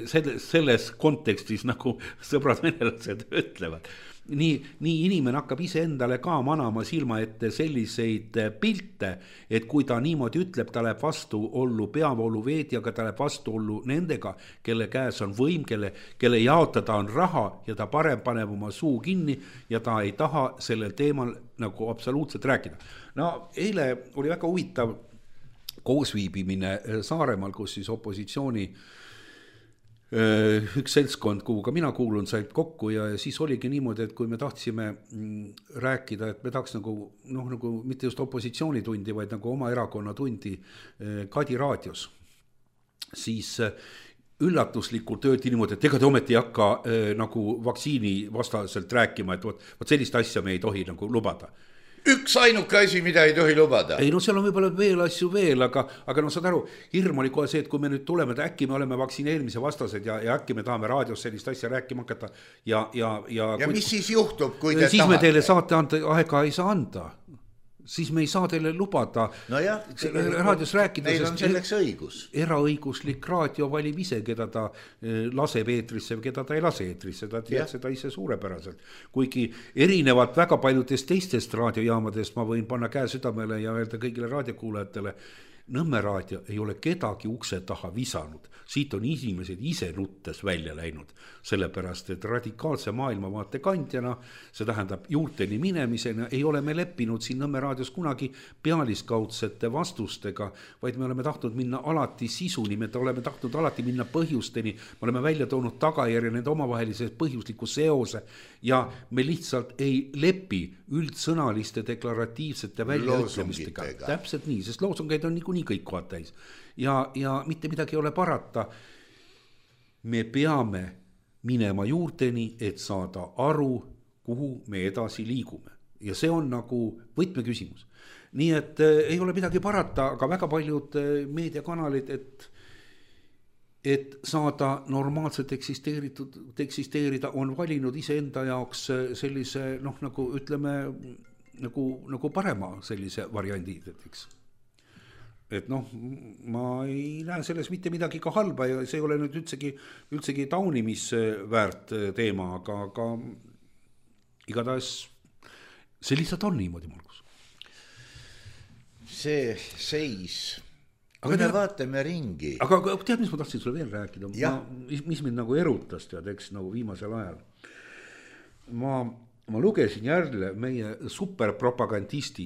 selles kontekstis, nagu sõbrad venelased ütlevad. Nii inimene hakkab ise endale ka manama silma ette selliseid pilte, et kui ta niimoodi ütleb, ta läheb vastuollu peavooluveedjaga, ta läheb vastuollu nendega, kelle käes on võim, kelle jaotada on raha ja ta parem paneb oma suu kinni ja ta ei taha sellel teemal nagu absoluutselt rääkida. No eile oli väga huvitav koosviibimine Saaremaal, kus siis opositsiooni üks seltskond, kuhu ka mina kuulun, said kokku ja siis oligi niimoodi, et kui me tahtsime rääkida, et me tahaks nagu mitte just opositsioonitundi, vaid nagu oma erakonna tundi Kadi raadios, siis üllatuslikult öeldi niimoodi, et ega te ometi ei hakka nagu vaktsiini vastaselt rääkima, et võt sellist asja me ei tohi nagu lubada. Üks ainuke asi, mida ei tohi lubada. Ei, seal on võib-olla veel asju veel, aga saad aru, hirm oli kohe see, et kui me nüüd tuleme, äkki me oleme vaktsineerimise vastased ja äkki me tahame raadios sellist asja rääkima hakata. Ja mis siis juhtub, kui te siis tahate? Me teile saate aega ei saa anda. Siis me ei saa teile lubada raadios rääkida. Neil on selleks õigus. Eraõiguslik raadio valib ise, keda ta laseb eetrisse või keda ta ei lase eetrisse. Ta teeb seda ise suurepäraselt. Kuigi erinevalt väga paljudest teistest raadiojaamadest ma võin panna käe südamele ja öelda kõigile raadiokuulajatele, Nõmme raadio ei ole kedagi ukse taha visanud. Siit on inimesed ise nuttes välja läinud, sellepärast, et radikaalse maailmavaate kandjana, see tähendab juurteni minemisena, ei ole me leppinud siin Nõmme raadios kunagi pealiskaudsete vastustega, vaid me oleme tahtnud minna alati sisuni, me oleme tahtnud alati minna põhjusteni, me oleme välja toonud tagajärje nende omavahelise põhjusliku seose ja me lihtsalt ei lepi üldsõnaliste deklaratiivsete väljaütlemistega. Täpselt nii, sest loosungeid on niikuinii kõik kohad täis. Ja mitte midagi ei ole parata. Me peame minema juurteni, et saada aru, kuhu me edasi liigume. Ja see on nagu võtmeküsimus. Nii et ei ole midagi parata, aga väga paljud meediakanalid, et saada normaalselt eksisteerida, on valinud iseenda jaoks sellise, nagu ütleme, nagu parema sellise variandi, eks. Et ma ei näe selles mitte midagi ka halba ja see ei ole nüüd üldsegi taunimisväärt teema, aga igatahes see lihtsalt on niimoodi, Margus. See seis, kui me vaatame ringi. Aga tead, mis ma tahtsin sulle veel rääkida? Mis mind nagu erutas, tead, eks nagu viimasel ajal. Ma lugesin jälle meie superpropagandist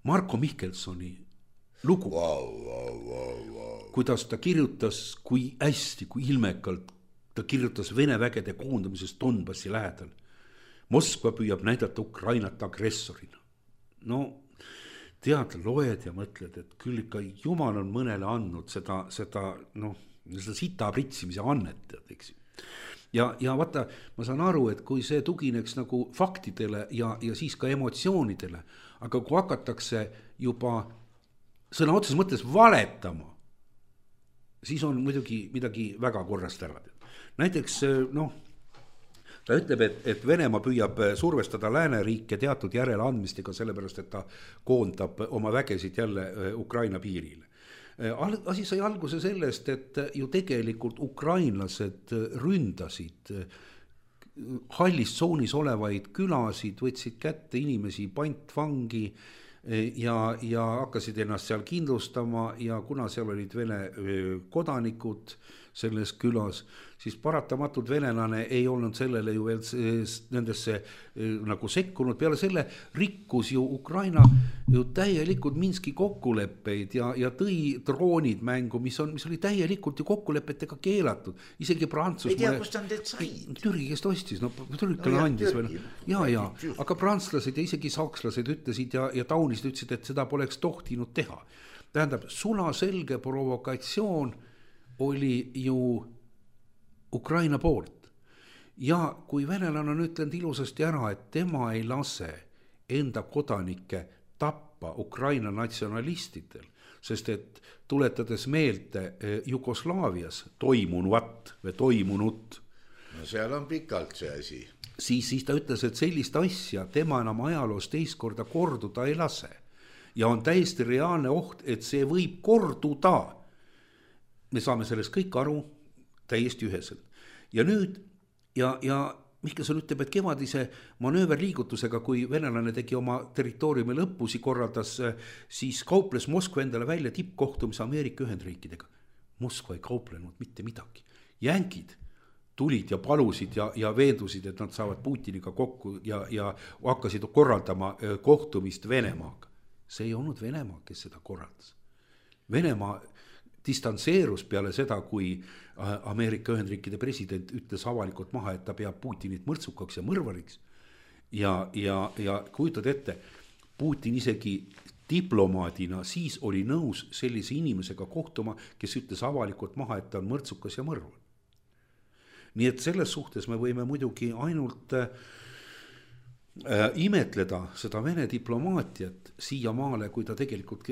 Marko Mihkelsoni lugu. Kuidas ta kirjutas, kui hästi, kui ilmekalt ta kirjutas Vene vägede koondamisest Donbassi lähedal. Moskva püüab näidata Ukrainat agressorina. No, tead, loed ja mõtled, et küll ikka Jumal on mõnele andnud seda sita pritsimise annet, eks. ja vaata, ma saan aru, et kui see tugineks nagu faktidele ja siis ka emotsioonidele, aga kui hakatakse juba sõna otseses mõttes valetama, siis on muidugi midagi väga korrast ära. Näiteks ta ütleb, et Venemaa püüab survestada lääneriike teatud järeleandmistega, sellepärast, et ta koondab oma vägesid jälle Ukraina piirile. Asi sai alguse sellest, et ju tegelikult ukrainlased ründasid hallis tsoonis olevaid külasid, võtsid kätte inimesi pantvangi ja hakkasid ennast seal kindlustama ja kuna seal olid Vene kodanikud selles külas, siis paratamatult venelane ei olnud sellele ju veel nendesse nagu sekkunud. Peale selle rikkus ju Ukraina ju täielikult Minski kokkuleppeid ja tõi droonid mängu, mis oli täielikult ju kokkulepetega keelatud. Isegi Prantsusmaa. Ei tea, kust on teed sai? Türgi, kes ostis, Türkale andis veel. Ja, aga prantslased ja isegi sakslased ütlesid ja taunisid ütlesid, et seda poleks tohtinud teha. Tähendab, sulaselge provokatsioon oli ju Ukraina poolt. Ja kui venelane on ütlenud ilusasti ära, et tema ei lase enda kodanikke tappa Ukraina natsionalistidel, sest et tuletades meelde Jugoslaavias toimunuvat või toimunut. No seal on pikalt see asi. Siis ta ütles, et sellist asja tema enam ajaloos teist korda korduda ei lase. Ja on täiesti reaalne oht, et see võib korduda. Me saame sellest kõik aru täiesti üheselt. Ja nüüd, ja Mihkelson ütleb, et kevadise manööverliigutusega, kui venelane tegi oma territooriumi lõppusi korraldas, siis kauples Moskva endale välja tippkohtumise Ameerika Ühendriikidega. Moskva ei kauplenud mitte midagi. Jänkid tulid ja palusid ja veendusid, et nad saavad Putiniga kokku ja hakkasid korraldama kohtumist Venemaaga. See ei olnud Venemaa, kes seda korraldas. Venemaa distantseerus peale seda, kui Ameerika Ühendriikide president ütles avalikult maha, et ta peab Putinit mõrtsukaks ja mõrvariks. Ja kujutad ette, Putin isegi diplomaadina siis oli nõus sellise inimesega kohtuma, kes ütles avalikult maha, et ta on mõrtsukas ja mõrvar. Nii et selles suhtes me võime muidugi ainult imetleda seda Vene diplomaatiat siiamaale, kui ta tegelikult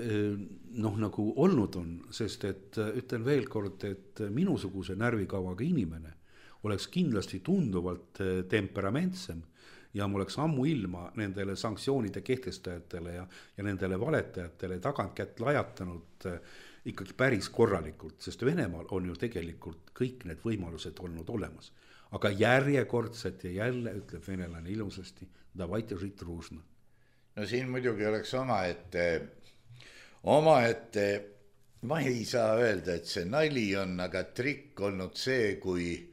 nagu olnud on, sest et ütlen veel kord, et minusuguse närvikavaga inimene oleks kindlasti tunduvalt temperamentsem ja mul oleks ammu ilma nendele sanktsioonide kehtestajatele ja nendele valetajatele tagantkätt lajatanud ikkagi päris korralikult, sest Venemaal on ju tegelikult kõik need võimalused olnud olemas. Aga järjekordselt ja jälle ütleb venelane ilusasti, davайте žить дружно. No siin muidugi oleks omaette, ma ei saa öelda, et see nali on, aga trikk olnud see, kui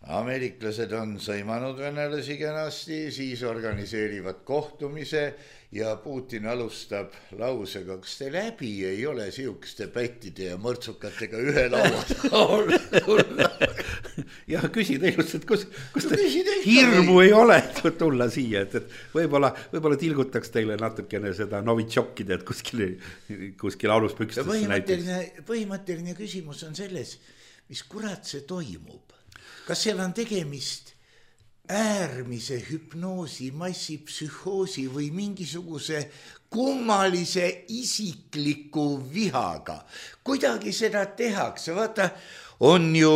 ameeriklased on sõimanud venelasi kenasti, siis organiseerivad kohtumise ja Putin alustab lausega, kas te läbi ei ole siukeste pättide ja mõrtsukatega ühe laua. Ja küsi teilust, et kus te hirmu ei ole tulla siia, et võib-olla tilgutaks teile natukene seda novitšokkide, et kuskil aluspükstes näiteks. Põhimõtteline küsimus on selles, mis kurat see toimub. Kas seal on tegemist äärmise hüpnoosi, massipsühhoosi või mingisuguse kummalise isikliku vihaga? Kuidagi seda tehakse, vaata, on ju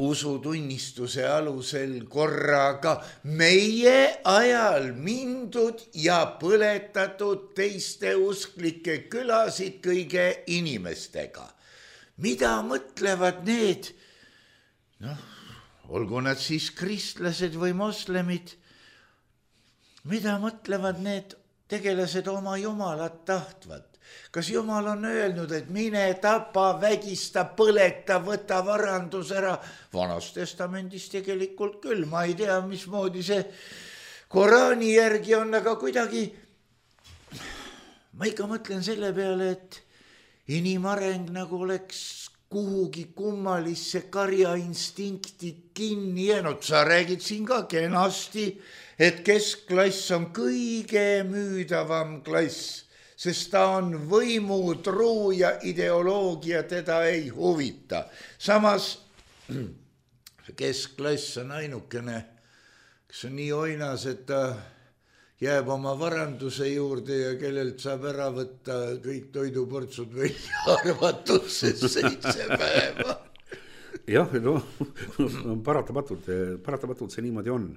usutunnistuse alusel korraga meie ajal mindud ja põletatud teiste usklike külasid kõige inimestega. Mida mõtlevad need, olgu nad siis kristlased või moslemid, mida mõtlevad need tegelased oma jumalat tahtvat? Kas jumal on öelnud, et mine tapa, vägista, põleta, võta varandus ära? Vanas testamendis tegelikult küll, ma ei tea, mismoodi see Koraani järgi on, aga kuidagi ma ikka mõtlen selle peale, et inimareng nagu oleks kuhugi kummalisse karjainstinkti kinni jäänud. Sa räägid siin ka kenasti, et keskklass on kõige müüdavam klass, sest ta on võimutruu ja ideoloogia teda ei huvita. Samas keskklass on ainukene, kes on nii oinas, et ta jääb oma varanduse juurde ja kellelt saab ära võtta kõik toiduportsud välja arvatusse 7 päeva. Jah, no paratamatult see niimoodi on.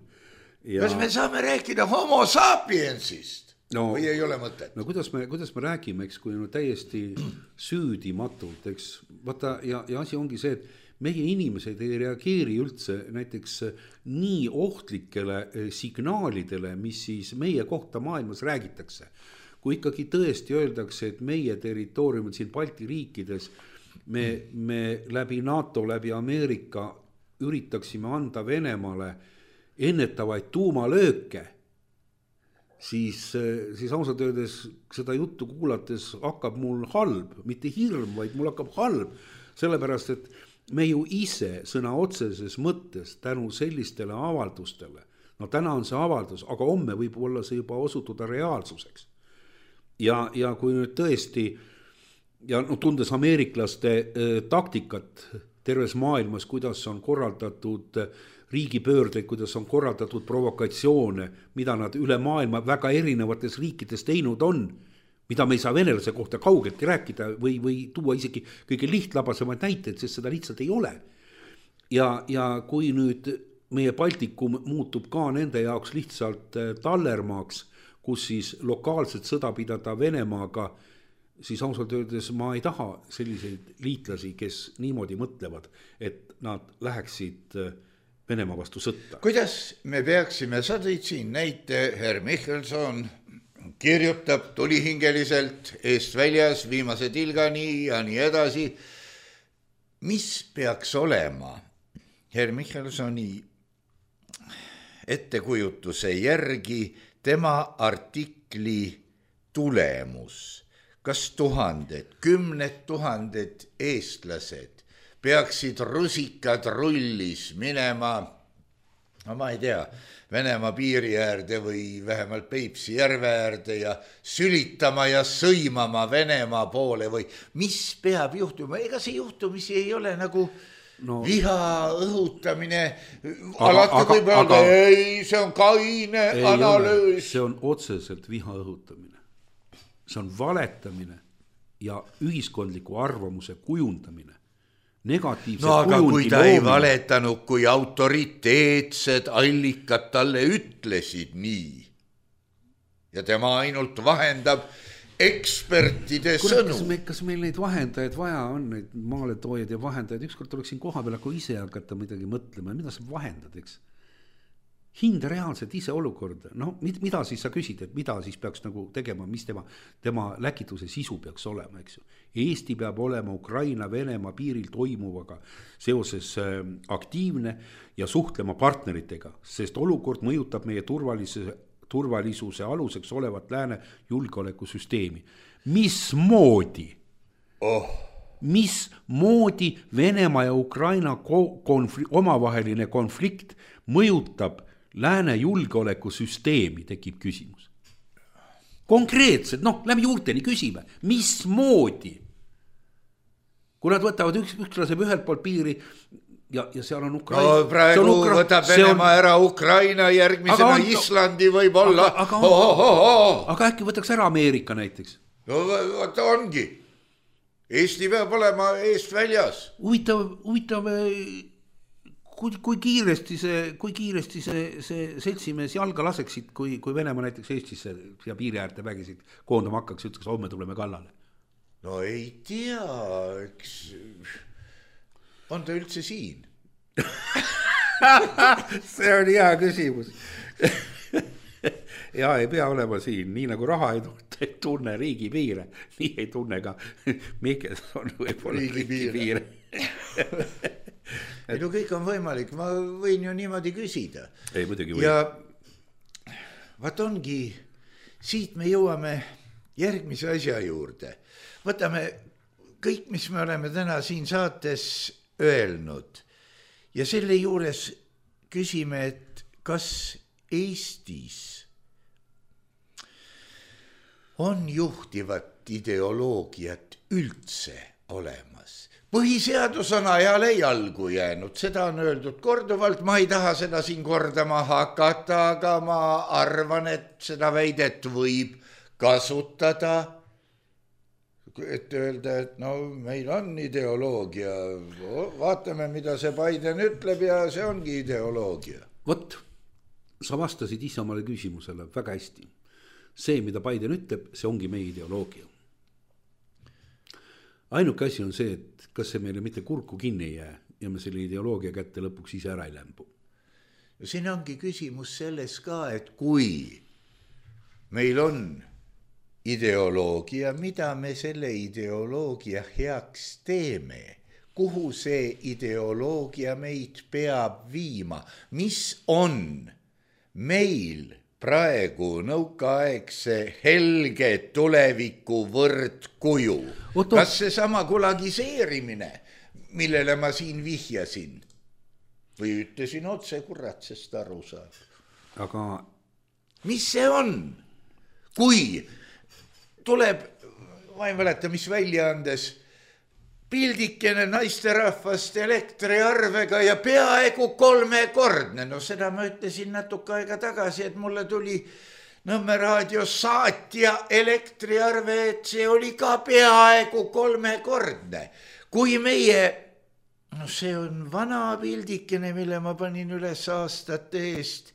Kas me saame rääkida homo sapiensist? Või ei ole mõtet? No kuidas me räägime, eks, kui täiesti süüdimatult, eks, vaata, ja asi ongi see, et meie inimesed ei reageeri üldse näiteks nii ohtlikele signaalidele, mis siis meie kohta maailmas räägitakse. Kui ikkagi tõesti öeldakse, et meie territooriumil siin Balti riikides me läbi NATO, läbi Ameerika üritaksime anda Venemaale ennetavaid tuumalööke, siis ausalt öeldes seda juttu kuulates hakkab mul halb, mitte hirm, vaid mul hakkab halb, sellepärast et me ju ise sõna otseses mõttes tänu sellistele avaldustele, no täna on see avaldus, aga homme võib olla see juba osutuda reaalsuseks. Ja kui nüüd tõesti, ja no tundes ameeriklaste taktikat terves maailmas, kuidas on korraldatud riigipöördeid, kuidas on korraldatud provokatsioone, mida nad üle maailma väga erinevates riikides teinud on, mida me ei saa venelase kohta kaugeltki rääkida või tuua isegi kõige lihtlabasemaid näiteid, sest seda lihtsalt ei ole. Ja kui nüüd meie Baltikum muutub ka nende jaoks lihtsalt tallermaaks, kus siis lokaalset sõda pidada Venemaaga, siis ausalt öeldes ma ei taha selliseid liitlasi, kes niimoodi mõtlevad, et nad läheksid Venemaa vastu sõtta. Kuidas me peaksime, sa tõid siin näite, Herr Michelson kirjutab tulihingeliselt eest väljas viimase tilgani ja nii edasi. Mis peaks olema Herr Michelsoni ettekujutuse järgi tema artikli tulemus? Kas 1000, 10 000 eestlased peaksid rusikad rullis minema, no ma ei tea, Venemaa piiri äärde või vähemalt Peipsi järve äärde ja sülitama ja sõimama Venemaa poole või mis peab juhtuma? Ega see juhtumisi ei ole nagu viha õhutamine. Alati võib öelda, ei, see on kaine analüüs. See on otseselt viha õhutamine. See on valetamine ja ühiskondliku arvamuse kujundamine. No aga kui ta ei valetanud, kui autoriteetsed allikad talle ütlesid nii ja tema ainult vahendab ekspertide sõnu. Kas meil neid vahendajaid vaja on, neid maaletoojaid ja vahendajaid, ükskord tuleks siin koha peal aga ise hakata midagi mõtlema, mida sa vahendad, eks? Hinda reaalselt ise olukorda, no mida siis sa küsid, et mida siis peaks nagu tegema, mis tema läkituse sisu peaks olema, eks ju. Eesti peab olema Ukraina, Venemaa piiril toimuvaga seoses aktiivne ja suhtlema partneritega, sest olukord mõjutab meie turvalisuse aluseks olevat lääne julgeolekusüsteemi. Mismoodi Venemaa ja Ukraina omavaheline konflikt mõjutab lääne julgeolekusüsteemi, tekib küsimus. Konkreetselt, läbi juurteni küsime, mismoodi? Kui nad võtavad üks laseb ühelt poolt piiri ja seal on Ukraina. No praegu võtab Venemaa ära Ukraina, järgmisena Islandi võib olla. Aga äkki võtaks ära Ameerika näiteks? No võtta ongi. Eesti peab olema eest väljas. Huvitav, kui kiiresti see seltsimees jalga laseksid, kui Venemaa näiteks Eestisse ja piiri äärte vägisid koondama hakkaks, ütleks, homme tuleme kallale. No ei tea, eks on ta üldse siin? See on hea küsimus. Ja ei pea olema siin, nii nagu raha ei tunne riigipiire, nii ei tunne ka Michelson võib-olla riigipiire. Ei, no kõik on võimalik, ma võin ju niimoodi küsida. Ei, muidugi või. Ja vaat ongi, siit me jõuame järgmise asja juurde. Võtame kõik, mis me oleme täna siin saates öelnud ja selle juures küsime, et kas Eestis on juhtivat ideoloogiat üldse olemas? põhiseadus on ajale jalgu jäänud, seda on öeldud korduvalt, ma ei taha seda siin kordama hakata, aga ma arvan, et seda väidet võib kasutada, et öelda, et no meil on ideoloogia, vaatame, mida see Biden ütleb ja see ongi ideoloogia. Vot, sa vastasid ise omale küsimusele väga hästi. See, mida Biden ütleb, see ongi meie ideoloogia. Ainuke asi on see, et kas see meile mitte kurku kinni ei jää ja me selle ideoloogia kätte lõpuks ise ära ei lämbu. Ja siin ongi küsimus selles ka, et kui meil on ideoloogia, mida me selle ideoloogia heaks teeme, kuhu see ideoloogia meid peab viima, mis on meil praegu nõukaaegse helge tuleviku võrdkuju. Kas see sama kulagiseerimine, millele ma siin vihjasin või ütlesin otse, kurat, sest aru saab. Aga mis see on? Kui tuleb, ma ei mäleta, mis väljaandes, pildikene naisterahvast elektriarvega ja peaaegu 3-kordne. No seda ma ütlesin natuke aega tagasi, et mulle tuli Nõmme raadio saatja elektriarve, et see oli ka peaaegu 3-kordne. Kui meie, no see on vana pildikene, mille ma panin üles aastate eest,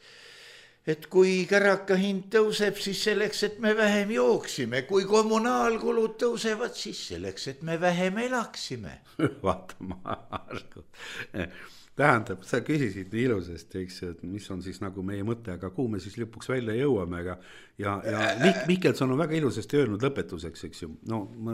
et kui käraka hind tõuseb, siis selleks, et me vähem jooksime. Kui kommunaalkulud tõusevad, siis selleks, et me vähem elaksime. Vaata, Margo. Tähendab, sa küsisid nii ilusasti, eks, et mis on siis nagu meie mõte, aga kuhu me siis lõpuks välja jõuame. Ja Mihkelson on väga ilusasti öelnud lõpetuseks, eks ju. No ma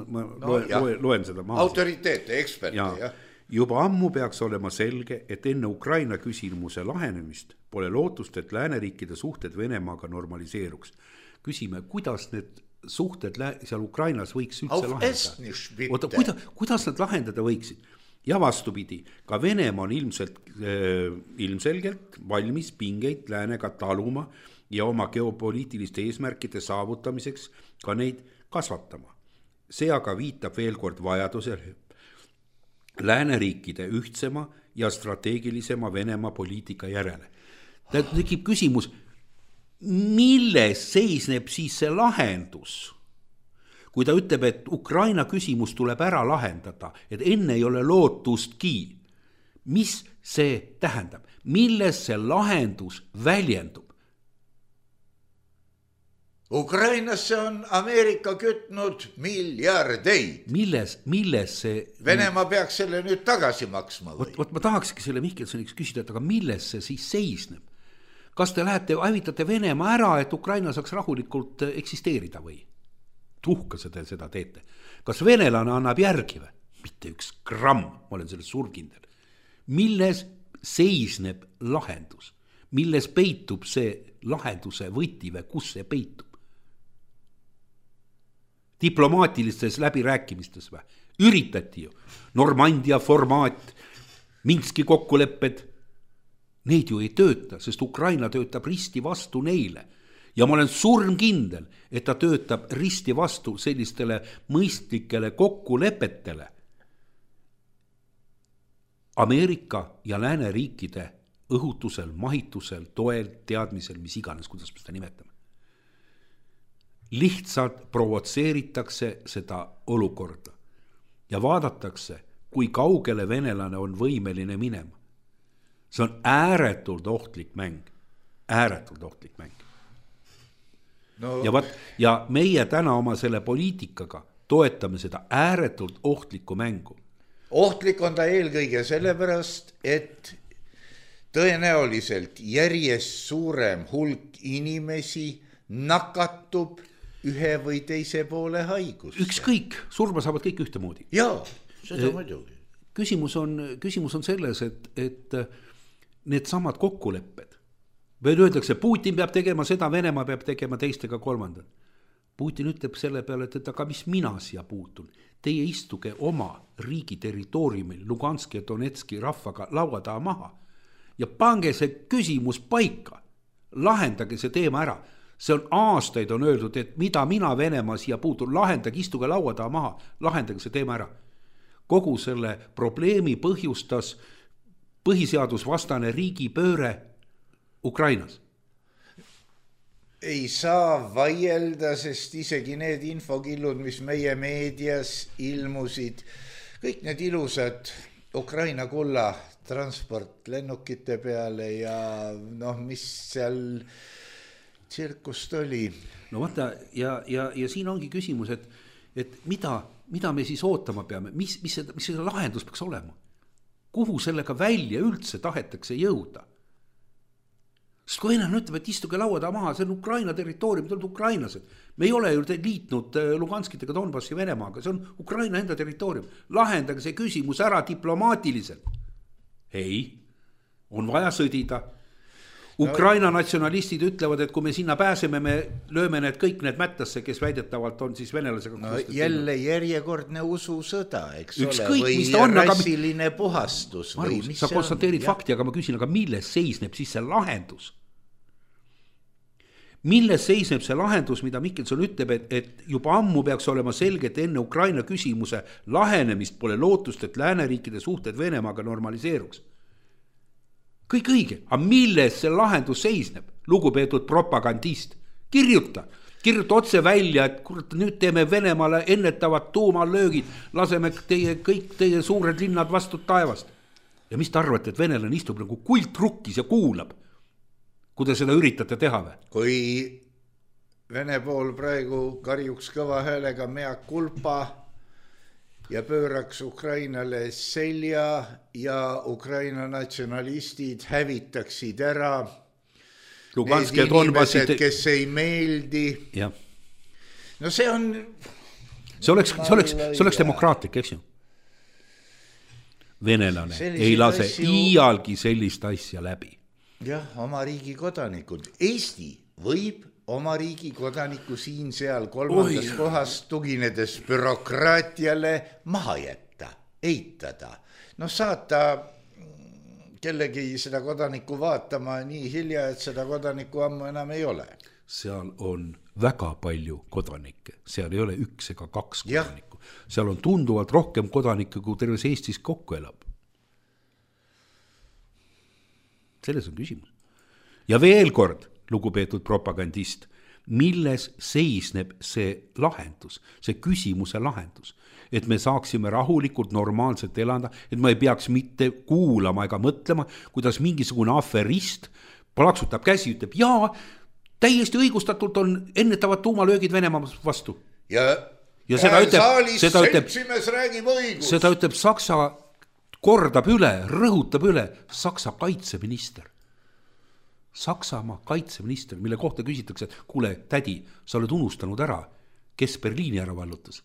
loen seda maas. Autoriteete, eksperte, jah. Juba ammu peaks olema selge, et enne Ukraina küsimuse lahenemist pole lootust, et lääneriikide suhted Venemaaga normaliseeruks. Küsime, kuidas need suhted seal Ukrainas võiks üldse lahendada? Oota, kuidas nad lahendada võiksid? Ja vastupidi, ka Venemaa on ilmselgelt valmis pingeid läänega taluma ja oma geopoliitiliste eesmärkide saavutamiseks ka neid kasvatama. See aga viitab veel kord vajadusele lääneriikide ühtsema ja strateegilisema Venemaa poliitika järele. Tekib küsimus, milles seisneb siis see lahendus? Kui ta ütleb, et Ukraina küsimus tuleb ära lahendada, et enne ei ole lootustki, mis see tähendab? Milles see lahendus väljendub? Ukrainasse on Ameerika kütnud miljardeid. Milles see... Venemaa peaks selle nüüd tagasi maksma või? Vot ma tahakski selle Mihkelsoniks küsida, et aga milles see siis seisneb? Kas te lähete, hävitate Venemaa ära, et Ukraina saaks rahulikult eksisteerida või? Tuhkase te seda teete. Kas venelane annab järgi või? Mitte üks gramm, ma olen selles surkindel. Milles seisneb lahendus? Milles peitub see lahenduse võti või kus see peitub? Diplomaatilistes läbirääkimistes või? Üritati ju. Normandia formaat, Minski kokkulepped. Neid ju ei tööta, sest Ukraina töötab risti vastu neile. Ja ma olen surmkindel, et ta töötab risti vastu sellistele mõistlikele kokkulepetele. Ameerika ja lääneriikide õhutusel, mahitusel, toel, teadmisel, mis iganes, kuidas me seda nimetame. Lihtsalt provotseeritakse seda olukorda ja vaadatakse, kui kaugele venelane on võimeline minema. See on ääretult ohtlik mäng. Ääretult ohtlik mäng. No. Ja meie täna oma selle poliitikaga toetame seda ääretult ohtlikku mängu. Ohtlik on ta eelkõige sellepärast, et tõenäoliselt järjest suurem hulk inimesi nakatub ühe või teise poole haigusse. Ükskõik, surma saavad kõik ühtemoodi. Jaa, seda muidugi. Küsimus on selles, et need samad kokkulepped, veel öeldakse, Putin peab tegema seda, Venemaa peab tegema teistega kolmandat. Putin ütleb selle peale, et aga mis mina siia puutun? Teie istuge oma riigi territooriumil Luganski ja Donetski rahvaga laua taha maha ja pange see küsimus paika. Lahendage see teema ära. See on aastaid on öeldud, et mida mina Venemaa siia puutun, lahendage, istuge laua taha maha, lahendage see teema ära. kogu selle probleemi põhjustas põhiseadusvastane riigipööre Ukrainas? Ei saa vaielda, sest isegi need infokillud, mis meie meedias ilmusid, kõik need ilusad Ukraina kulla transport lennukite peale ja mis seal tsirkust oli. No vaata, ja siin ongi küsimus, et mida me siis ootama peame, mis see lahendus peaks olema? Kuhu sellega välja üldse tahetakse jõuda? Sest kui enam ütleb, et istuge lauada maha, see on Ukraina territoorium, te olete ukrainlased. Me ei ole ju liitnud Luganskit ega Donbassi Venemaaga, see on Ukraina enda territoorium. Lahendage see küsimus ära diplomaatiliselt. Ei, on vaja sõdida. Ukraina natsionalistid ütlevad, et kui me sinna pääseme, me lööme kõik need mättasse, kes väidetavalt on siis venelasega. Jälle järjekordne ususõda, eks ükskõik, ole, või rassiline puhastus. Margus, sa konstateerid fakti, aga ma küsin, aga milles seisneb siis see lahendus? Milles seisneb see lahendus, mida Mihkelson ütleb, et juba ammu peaks olema selge, et enne Ukraina küsimuse lahenemist pole lootust, et lääneriikide suhted Venemaaga normaliseeruks. Kõik õige, aga milles see lahendus seisneb? Lugupeetud propagandist, kirjuta otse välja, et kurat, nüüd teeme Venemaale ennetavad tuumalöögid, laseme kõik teie suured linnad vastu taevast. Ja mis te arvate, et venelane istub nagu kultrukkis ja kuulab, kui te seda üritate teha või? Kui Vene pool praegu karjuks kõva häälega mea culpa ja pööraks Ukrainale selja ja Ukraina natsionalistid hävitaksid ära Luganski need inimesed, kes ei meeldi. Ja. No see on... See oleks demokraatlik, eks ju? Venelane ei lase iialgi sellist asja läbi. Jah, oma riigi kodanikud. Eesti võib oma riigi kodaniku siin seal kolmandas kohas tuginedes bürokraatiale maha jätta, eitada. Saata kellegi seda kodanikku vaatama nii hilja, et seda kodanikku ammu enam ei ole. Seal on väga palju kodanikke, seal ei ole 1 ega 2 kodanikku. Seal on tunduvalt rohkem kodanikke, kui terves Eestis kokku elab. Selles on küsimus. Ja veel kord, lugupeetud propagandist, milles seisneb see lahendus, see küsimuse lahendus, et me saaksime rahulikult normaalselt elada, et ma ei peaks mitte kuulama ega mõtlema, kuidas mingisugune aferist plaksutab käsi, ütleb, jaa, täiesti õigustatult on ennetavad tuumalöögid Venemaa vastu. Ja seda ütleb Saksa kordab üle, rõhutab üle Saksa kaitseminister. Saksamaa kaitseminister, mille kohta küsitakse, et kuule, tädi, sa oled unustanud ära, kes Berliini ära vallutas.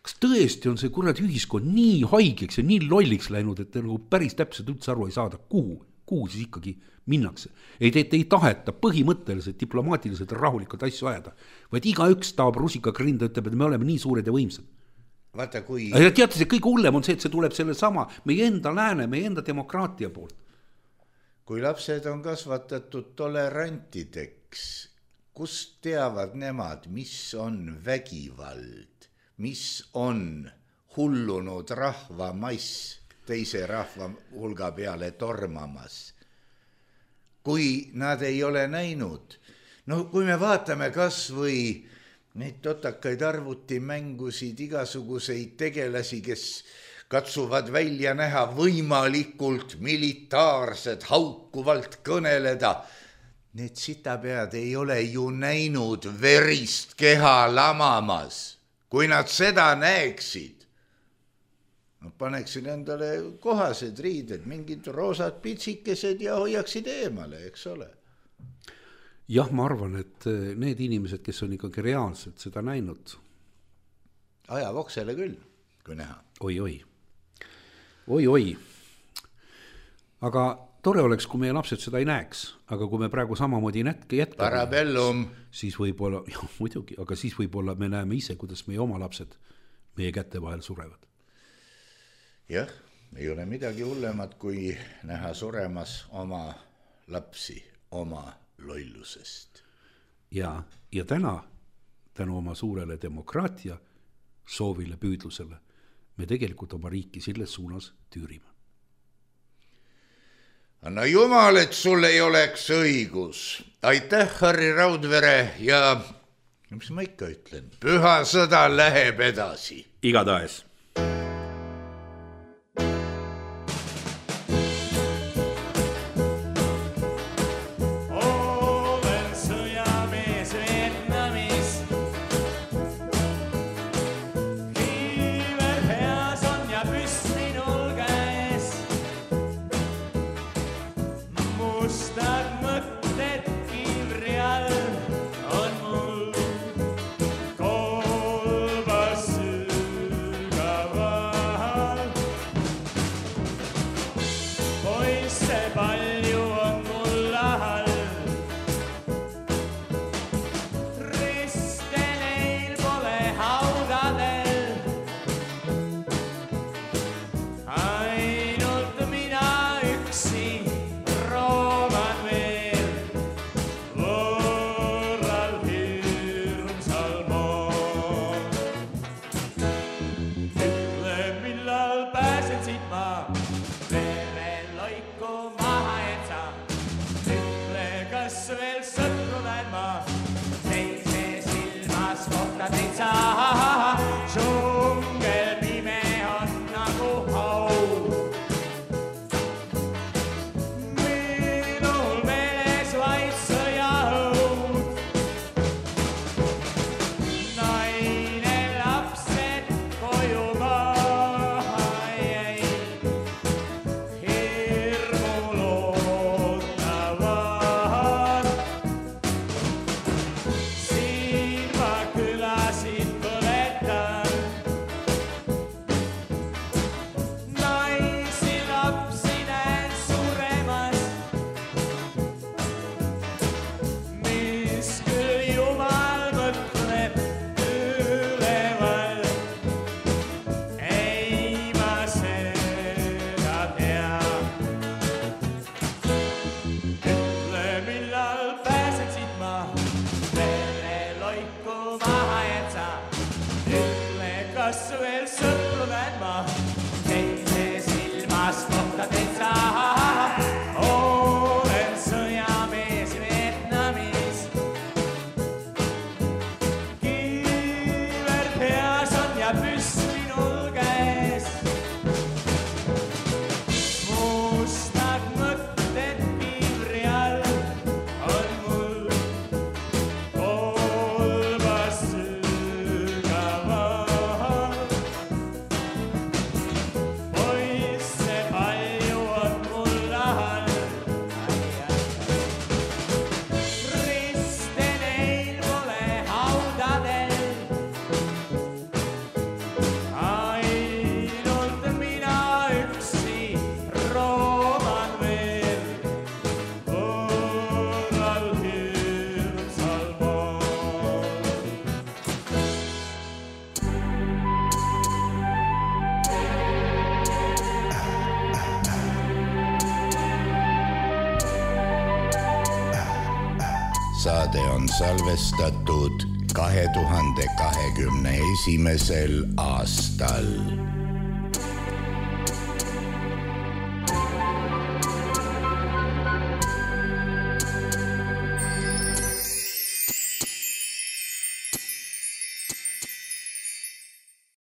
Kas tõesti on see kuradi ühiskond nii haigeks ja nii lolliks läinud, et te nagu päris täpselt üldse aru ei saada, kuhu siis ikkagi minnakse. Ei taheta põhimõtteliselt, diplomaatiliselt rahulikult asju ajada, vaid igaüks taab rusikaga rinda, ütleb, et me oleme nii suured ja võimsad. Vaata, kui... Ja teate, see kõige hullem on see, et see tuleb selle sama meie enda lääne, meie enda demokraatia poolt. Kui lapsed on kasvatatud tolerantideks, kus teavad nemad, mis on vägivald, mis on hullunud rahvamass teise rahva hulga peale tormamas. Kui nad ei ole näinud, kui me vaatame kas või neid totakaid arvutimängusid, igasuguseid tegelasi, kes katsuvad välja näha võimalikult militaarsed, haukuvalt kõneleda. Need sitapead ei ole ju näinud verist keha lamamas. Kui nad seda näeksid, paneksid endale kohased riided, mingid roosad pitsikesed ja hoiaksid eemale, eks ole. Jah, ma arvan, et need inimesed, kes on ikkagi reaalselt seda näinud. Ajab oksele küll, kui näha. Oi. Aga tore oleks, kui meie lapsed seda ei näeks, aga kui me praegu samamoodi jätkame, Parabellum. Siis võib-olla, muidugi, aga siis võib-olla me näeme ise, kuidas meie oma lapsed meie kätte vahel surevad. Jah, ei ole midagi hullemat, kui näha suremas oma lapsi, oma lollusest. Ja täna, tänu oma suurele demokraatia soovile, püüdlusele. Me tegelikult oma riiki selles suunas tüürime. Anna jumal, et sul ei oleks õigus. Aitäh, Harri Raudvere ja mis ma ikka ütlen, püha sõda läheb edasi. Igatahes. Saade on salvestatud 2021. aastal.